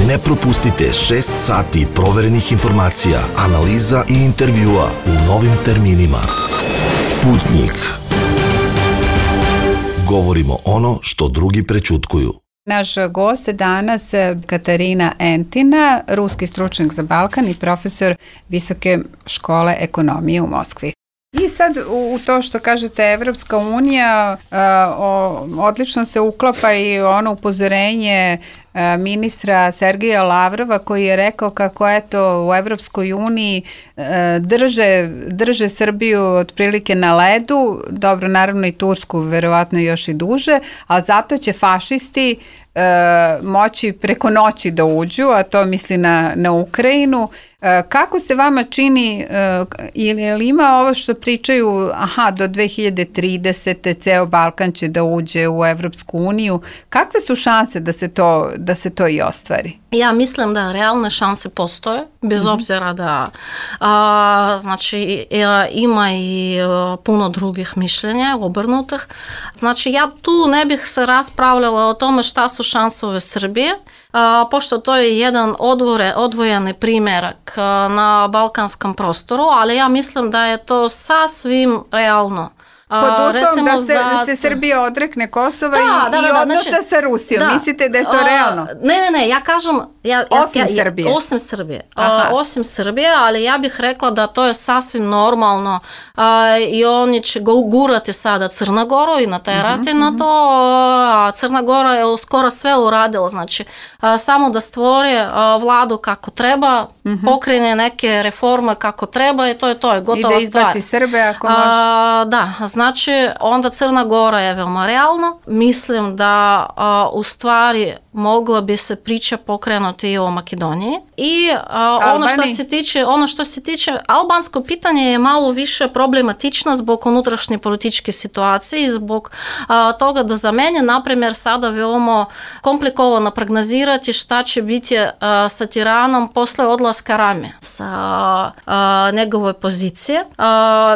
Ne propustite 6 sati proverenih informacija, analiza i intervjua u novim terminima. Sputnik. Govorimo ono što drugi prećutkuju. Naš gost je danas Katarina Entina, ruski stručnjak za Balkan i profesor Visoke škole ekonomije u Moskvi. I sad u to što kažete Evropska unija odlično se uklapa i ono upozorenje ministra Sergeja Lavrova koji je rekao kako eto u Evropskoj uniji drže Srbiju otprilike na ledu, dobro naravno i Tursku verovatno još i duže, a zato će fašisti moći preko noći da uđu, a to misli na Ukrajinu. Kako se vama čini, ili ima ovo što pričaju, do 2030. ceo Balkan će da uđe u Evropsku uniju, kakve su šanse da se to i ostvari? Ja mislim da realne šanse postoje, bez obzira da znači ima i puno drugih mišljenja, obrnutih. Znači ja tu ne bih se raspravljala o tome šta su šansove Srbije, pošto to je jedan odvojeni primjerak na balkanskom prostoru, ali ja mislim da je to sasvim realno. Pod uslovom da se Srbija odrekne Kosova i odnosa sa Rusijom. Mislite da je to realno? Ne, ja kažem... Osim Srbije, ali ja bih rekla da to je sasvim normalno i oni će gurati sada Crna Goru i naterati na to, a Crna Gora je skoro sve uradila, znači samo da stvori vladu kako treba, pokrene neke reforme kako treba i to je gotova stvar. I da izbaci Srbe ako može. Da, Znači, onda Crna Gora je veoma realno. Mislim da u stvari mogla bi se priča pokrenuti i o Makedoniji. I ono što se tiče albansko pitanje je malo više problematično zbog unutrašnje političke situacije i zbog toga da za mene, na primjer, sada veoma komplikovano prognozirati šta će biti sa Tiranom posle odlaska Rame sa njegove pozicije.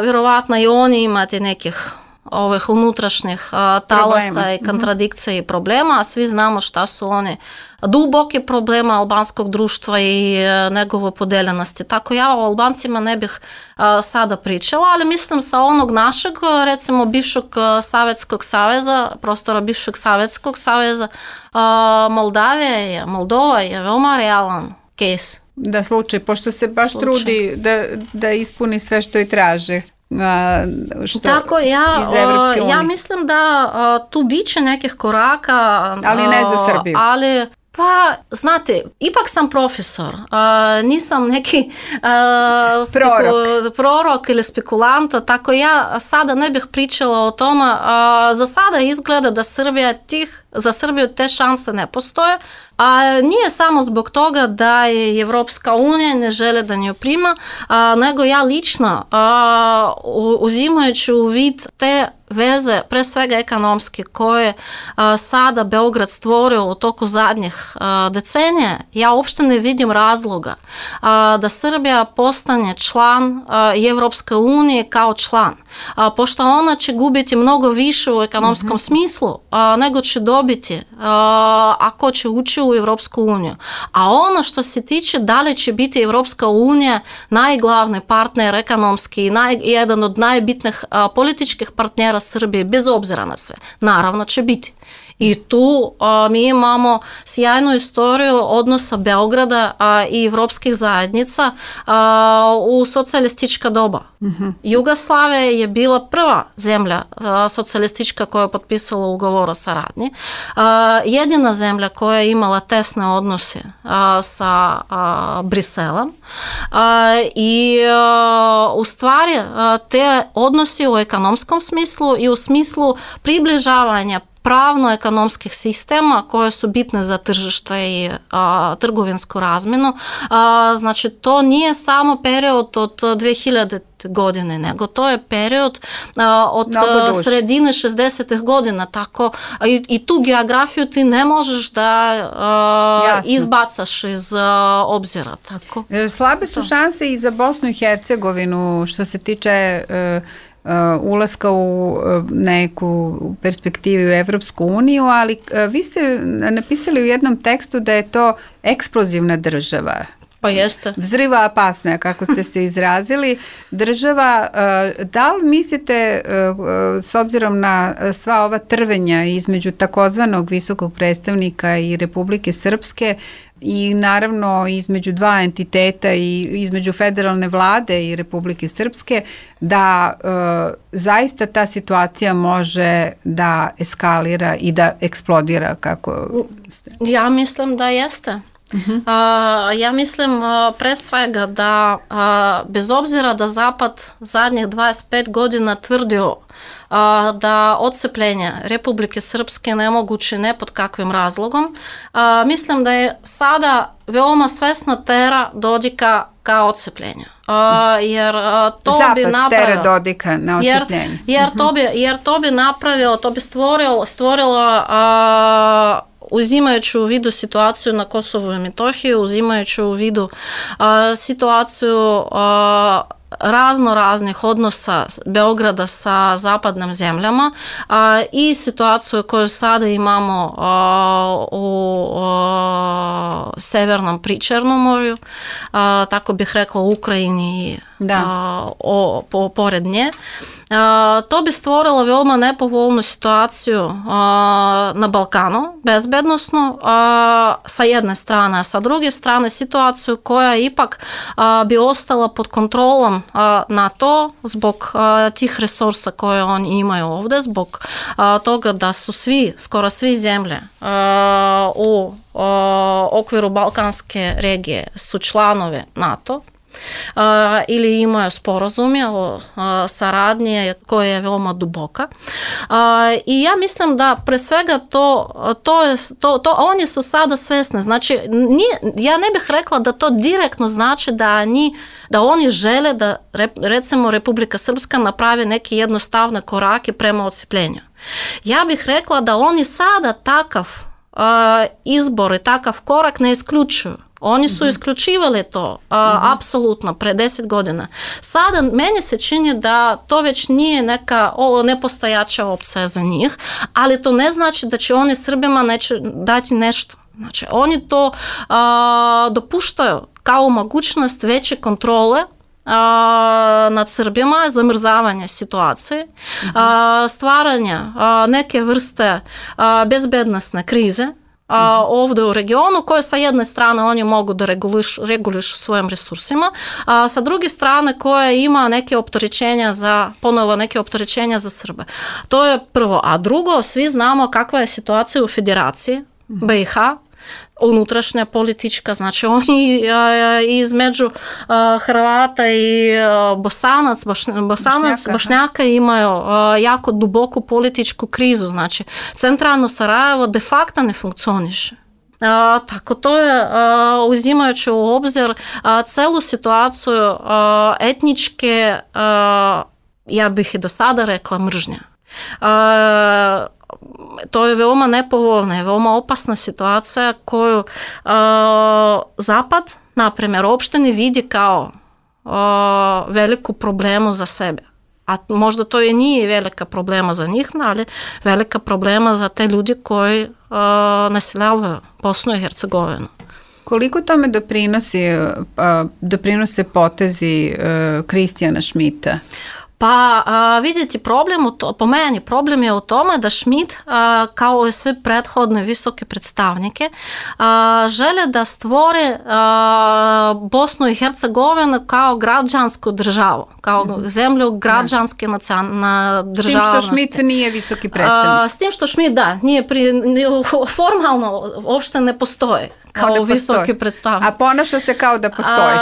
Vjerovatno i oni imate nekih ovih unutrašnjih talasa i kontradikcija i problema, a svi znamo šta su oni duboki problema albanskog društva i njegove podeljenosti. Tako ja o Albancima ne bih sada pričala, ali mislim sa onog našeg, recimo bivšeg Savjetskog saveza, prostora bivšeg Savjetskog saveza, Moldova je veoma realan case. Da, slučaj, pošto se baš trudi da ispuni sve što i traže. Tako, ja mislim da tu biće nekih koraka, ali ne za Srbiju. Ali pa, znate, ipak sam profesor, nisam neki prorok ili spekulanta, tako ja sada ne bih pričala o tome. Za sada izgleda da za Srbiju te šanse ne postoje, a nije samo zbog toga da je Evropska unija ne žele da nju prima, nego ja lično, uzimajući u vid te veze, pre svega ekonomske, koje sada Beograd stvorio u toku zadnjih decenija, ja uopšte ne vidim razloga da Srbija postane član Evropske unije kao član, pošto ona će gubiti mnogo više u ekonomskom smislu nego će dobiti ako će ući u Evropsku uniju. A ono što se tiče da li će biti Evropska unija najglavni partner ekonomski i jedan od najbitnijih političkih partnera Srbije, bez obzira na sve, naravno će biti. I tu mi imamo sjajnu istoriju odnosa Beograda i evropskih zajednica u socijalistička doba. Jugoslavija je bila prva zemlja socijalistička koja je potpisala ugovor o saradnji. Jedina zemlja koja je imala tesne odnose sa Briselom. I u stvari te odnosi u ekonomskom smislu i u smislu približavanja pravno-ekonomskih sistema koje su bitne za tržište i trgovinsku razmjenu. Znači, to nije samo period od 2000 godine, nego to je period od sredine 60-ih godina. Tako, i tu geografiju ti ne možeš da izbacaš iz obzira. Tako. Slabe su šanse i za Bosnu i Hercegovinu što se tiče ulaska u neku perspektivu u Evropsku uniju, ali vi ste napisali u jednom tekstu da je to eksplozivna država. Pa jeste. Vzriva opasna, kako ste se izrazili. Država, da li mislite, s obzirom na sva ova trvenja između takozvanog visokog predstavnika i Republike Srpske i naravno između dva entiteta i između federalne vlade i Republike Srpske, da zaista ta situacija može da eskalira i da eksplodira, kako ste? Ja mislim da jeste. Ja mislim pre svega da bez obzira da Zapad zadnjih 25 godina tvrdio da odcepljenje Republike Srpske nemoguće ne pod kakvim razlogom, mislim da je sada veoma svesna tera Dodika ka odcepljenju. Jer to Zapad bi napravio, tera Dodika na odcepljenje. Jer to bi napravio, to bi stvorilo uzimajući u vidu situaciju na Kosovu i Metohiji, uzimajući u vidu situaciju raznih odnosa Beograda sa zapadnim zemljama i situaciju koju sada imamo u Severnom Pričernomorju, tako bih rekla u Ukrajini pored nje. To bi stvorilo veoma nepovoljnu situaciju na Balkanu, bezbednosnu, sa jedne strane, a sa druge strane situaciju koja ipak bi ostala pod kontrolom NATO zbog tih resursa koje oni imaju ovdje, zbog toga da su skoro svi zemlje u okviru Balkanske regije su članovi NATO. ili imaju sporazume o saradnji koja je veoma duboka. I ja mislim da pre svega to oni su sada svesni. Znači, ja ne bih rekla da to direktno znači da oni žele da recimo Republika Srpska napravi neke jednostavne korake prema odcepljenju. Ja bih rekla da oni sada takav izbor i takav korak ne isključuju. Oni su isključivali to, apsolutno, pre 10 godina. Sada meni se čini da to već nije neka nepostojača opcija za njih, ali to ne znači da će oni Srbima neće dati nešto. Znači, oni to dopuštaju kao mogućnost veće kontrole nad Srbima, zamrzavanja situacije, stvaranja neke vrste bezbednosne krize ovdje u regionu, koje sa jedne strane oni mogu da regulišu svojim resursima, a sa druge strane koje ima neke opterećenja za Srbe. To je prvo. A drugo, svi znamo kakva je situacija u Federaciji BiH, unutrašnja politička, znači oni između Hrvata i Bošnjaka imaju jako duboku političku krizu, znači centralno Sarajevo de facto ne funkcioniše. Tako to je, uzimajući u obzir celu situaciju etničke, ja bih i do sada rekla, mržnja. To je veoma nepovoljna i veoma opasna situacija koju Zapad, na primjer, uopšte ne vidi kao veliku problemu za sebe. A možda to i nije velika problema za njih, ali velika problema za te ljudi koji naseljavaju Bosnu i Hercegovinu. Koliko tome doprinose potezi Kristijana Šmita? Pa vidjeti po meni problem je u tome da Šmit, kao i sve prethodne visoke predstavnike, žele da stvore Bosnu i Hercegovinu kao građansku državu, kao zemlju građanske državnosti. S tim što Šmit nije visoki predstavnik. S tim što Šmit, da, formalno uopšte ne postoji kao visoki predstavnik. A ponaša se kao da postoji.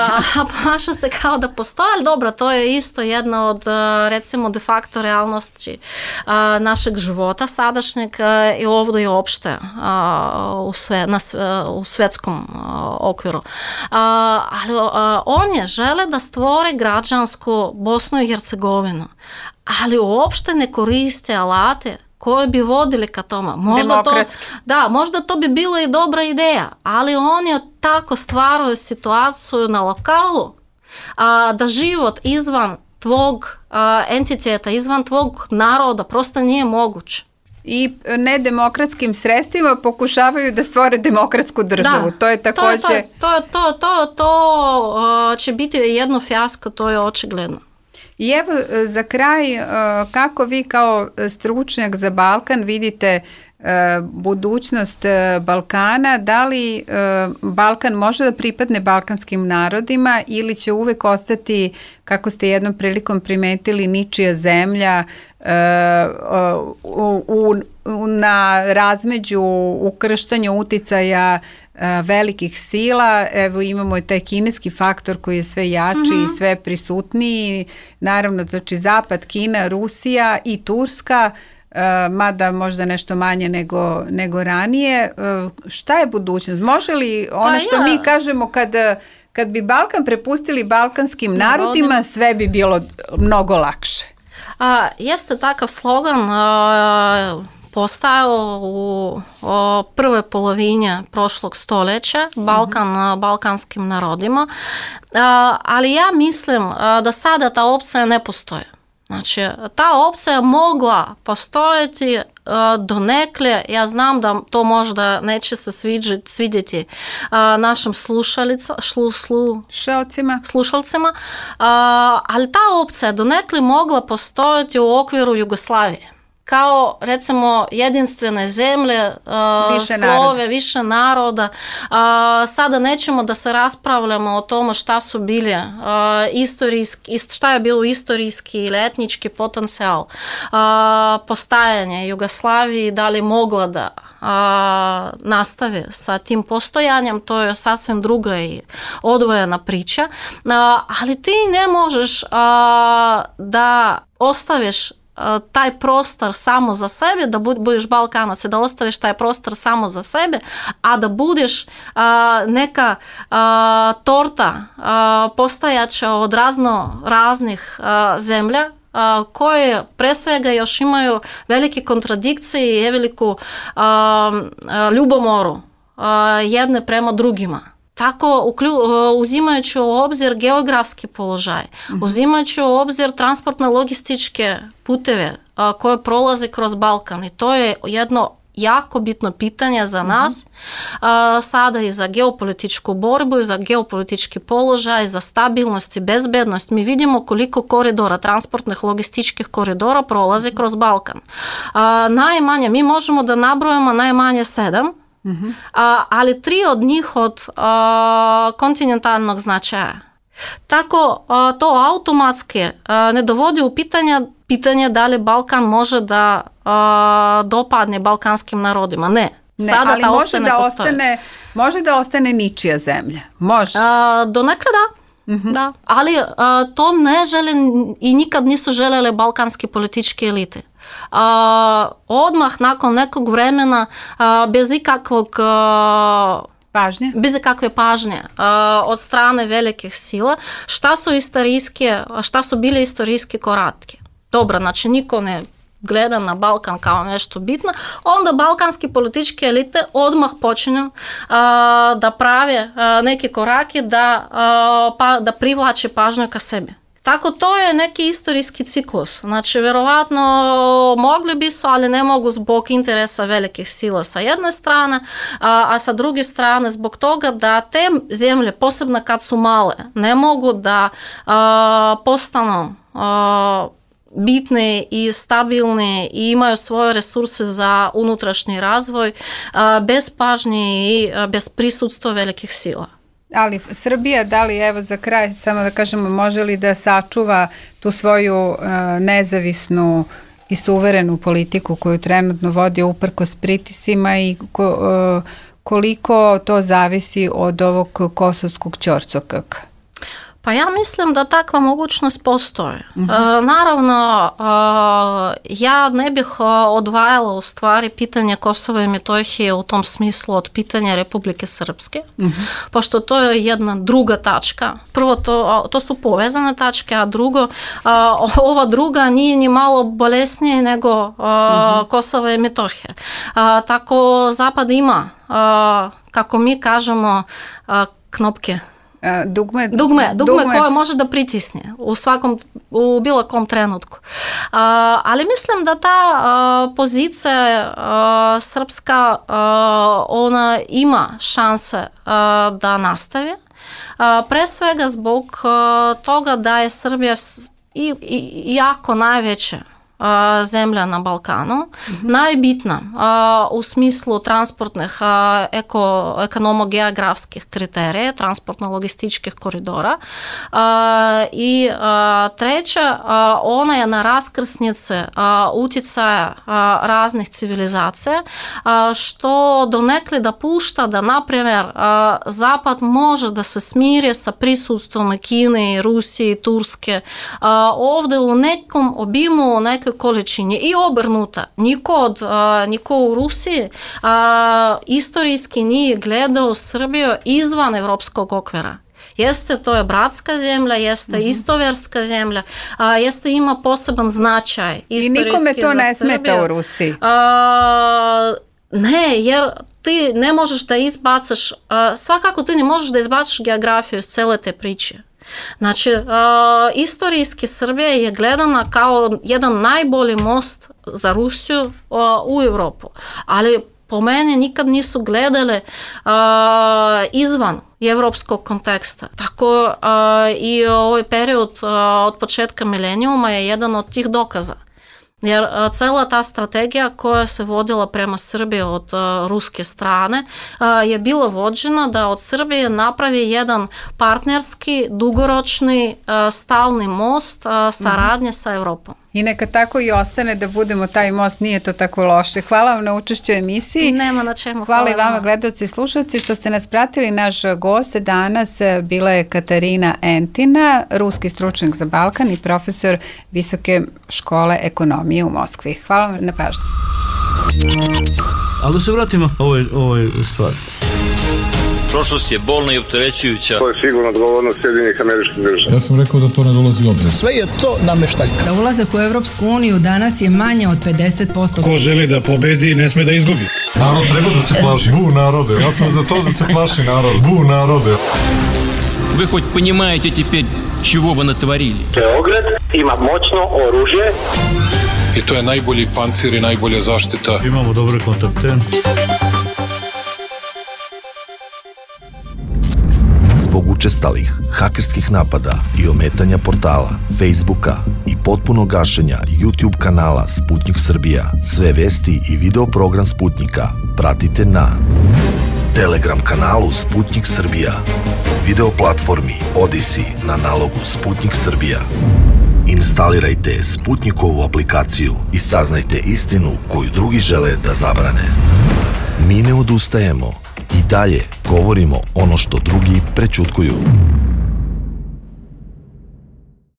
Ponaša se kao da postoji, ali dobro, to je isto jedna od, recimo, de facto realnosti našeg života sadašnjeg i ovdje i opšte u svetskom okviru. Ali oni žele da stvore građansku Bosnu i Hercegovinu, ali uopšte ne koriste alate koji bi vodili ka tome. Možda to bi bila i dobra ideja, ali oni tako stvaraju situaciju na lokalu da život izvan tvog entiteta, izvan tvog naroda prosto nije moguć. I nedemokratskim sredstvima pokušavaju da stvore demokratsku državu. To je također... To će biti jedno fijasko, to je očigledno. I evo za kraj, kako vi kao stručnjak za Balkan vidite budućnost Balkana, da li Balkan može da pripadne balkanskim narodima ili će uvek ostati, kako ste jednom prilikom primetili, ničija zemlja na razmeđu ukrštanja uticaja velikih sila. Evo imamo i taj kineski faktor koji je sve jači i sve prisutniji. Naravno, znači Zapad, Kina, Rusija i Turska, mada možda nešto manje nego ranije. Šta je budućnost? Može li što mi kažemo kad bi Balkan prepustili balkanskim narodima, sve bi bilo mnogo lakše? Jeste takav slogan postajao u prvoj polovini prošlog stoljeća, Balkan balkanskim narodima, ali ja mislim da sada ta opcija ne postoji. Znači, ta opcija mogla postojati donekle, ja znam da to možda neće se svidjeti našim slušalcima, ali ta opcija donekle mogla postojati u okviru Jugoslavije. kao recimo jedinstvene zemlje, više naroda. Sada nećemo da se raspravljamo o tome šta su bili šta je bilo istorijski ili etnički potencijal postajanja Jugoslavije, da li mogla da nastave sa tim postojanjem, to je sasvim druga i odvojena priča, ali ti ne možeš da ostaviš taj prostor samo za sebe, da budeš Balkanac, da ostaviš taj prostor samo za sebe, a da budeš neka torta postajača od raznih zemlja, koje pre svega još imaju velike kontradikcije i veliku ljubomoru jedne prema drugima. Tako, uzimajući u obzir geografski položaj, uzimajući u obzir transportno-logističke puteve koje prolaze kroz Balkan, i to je jedno jako bitno pitanje za nas, sada i za geopolitičku borbu, i za geopolitički položaj, za stabilnost i bezbednost. Mi vidimo koliko koridora, transportnih logističkih koridora prolaze kroz Balkan. Najmanje, mi možemo da nabrojimo najmanje 7, ali 3 od njih od kontinentalnog značaja. Tako to automatski ne dovodi u pitanje da li Balkan može da dopadne balkanskim narodima. Ne. Sada ali može da ostane ničija zemlja. Može. Donekle da. Ali to ne žele i nikad nisu želele balkanske političke elite. Odmah nakon nekog vremena bez ikakve pažnje od strane velikih sila, šta su bile istorijske koratke. Dobro, znači niko ne gleda na Balkan kao nešto bitno, onda balkanski političke elite odmah počinju da prave neke korake da privlače pažnju ka sebi. Tako to je neki istorijski ciklus. Znači, verovatno mogli bi su, ali ne mogu zbog interesa velikih sila sa jedne strane, a sa druge strane zbog toga da te zemlje, posebno kad su male, ne mogu da postanu bitne i stabilne i imaju svoje resurse za unutrašnji razvoj bez pažnje i bez prisutstva velikih sila. Ali Srbija, da li, evo za kraj, samo da kažemo, može li da sačuva tu svoju nezavisnu i suverenu politiku koju trenutno vodi uprkos pritiscima i koliko to zavisi od ovog kosovskog ćorcokaka? Pa ja mislim da takva mogućnost postoji. Naravno, ja ne bih odvajala u stvari pitanje Kosova i Metohije u tom smislu od pitanja Republike Srpske, pošto to je jedna druga tačka. Prvo, to su povezane tačke, a drugo, ova druga nije ni malo bolesnije nego Kosova i Metohija. Tako Zapad ima, kako mi kažemo, knopke. Dugme koje može da pritisne u bilo kom trenutku. Ali mislim da ta pozicija srpska, ona ima šanse da nastavi. Pre svega zbog toga da je Srbija jako najveća zemlja na Balkanu, najbitna u smislu transportnih ekonomo-geografskih kriterija, transportno-logističkih koridora, i treća, ona je na raskrsnice utjecaja raznih civilizacija, što donekle da pušta da, na primjer, Zapad može da se smiri sa prisustvom Kine, Rusije, Turske, ovdje u nekom obimu, u nekoj količini i obrnuta. Niko u Rusiji istorijski nije gledao Srbiju izvan evropskog okvira. To je bratska zemlja, jeste istoverska zemlja, ima poseban značaj istorijski za Srbiju. I nikome to ne smeta u Rusiji? Ne, jer ti ne možeš da izbacaš, svakako ti ne možeš da izbacaš geografiju iz cele te priče. Znači, istorijski Srbija je gledana kao jedan najbolji most za Rusiju u Evropu, ali po meni nikad nisu gledali izvan evropskog konteksta. Tako i ovaj period od početka milenijuma je jedan od tih dokaza. Jer cela ta strategija koja se vodila prema Srbiji od ruske strane je bila vođena da od Srbije napravi jedan partnerski, dugoročni, stalni most saradnje sa Evropom. I neka tako i ostane da budemo taj most, nije to tako loše. Hvala vam na učešću u emisiji. Nema na čemu. Hvala i vama gledaoci i slušalci što ste nas pratili. Naš gost danas bila je Katarina Entina, ruski stručnjak za Balkan i profesor Visoke škole ekonomije u Moskvi. Hvala vam na pažnju. Ali da se vratimo ovoj stvari. Prošlost je bolna i opterećujuća. To je sigurno odgovornost Sjedinjenih Američkih Država. Ja sam rekao da to ne dolazi u obzir. Sve je to nameštaljka. Za ulazak u Evropsku uniju danas je manje od 50%. Ko želi da pobedi, ne sme da izgubi. Narod treba da se plaši. Bu narode, ja sam za to da se plaši narod. Bu narode. Вы хоть понимаете теперь, чего вы натворили? Beograd ima moćno oružje. I to je najbolji pancir i najbolja zaštita. Imamo dobre kontakte. Zbog učestalih hakerskih napada i ometanja portala, Facebooka i potpunog gašenja YouTube kanala Sputnik Srbija, sve vesti i video program Sputnika pratite na Telegram kanalu Sputnik Srbija, video platformi Odyssey na nalogu Sputnik Srbija. Instalirajte Sputnikovu aplikaciju i saznajte istinu koju drugi žele da zabrane. Mi ne odustajemo i dalje govorimo ono što drugi prećutkuju.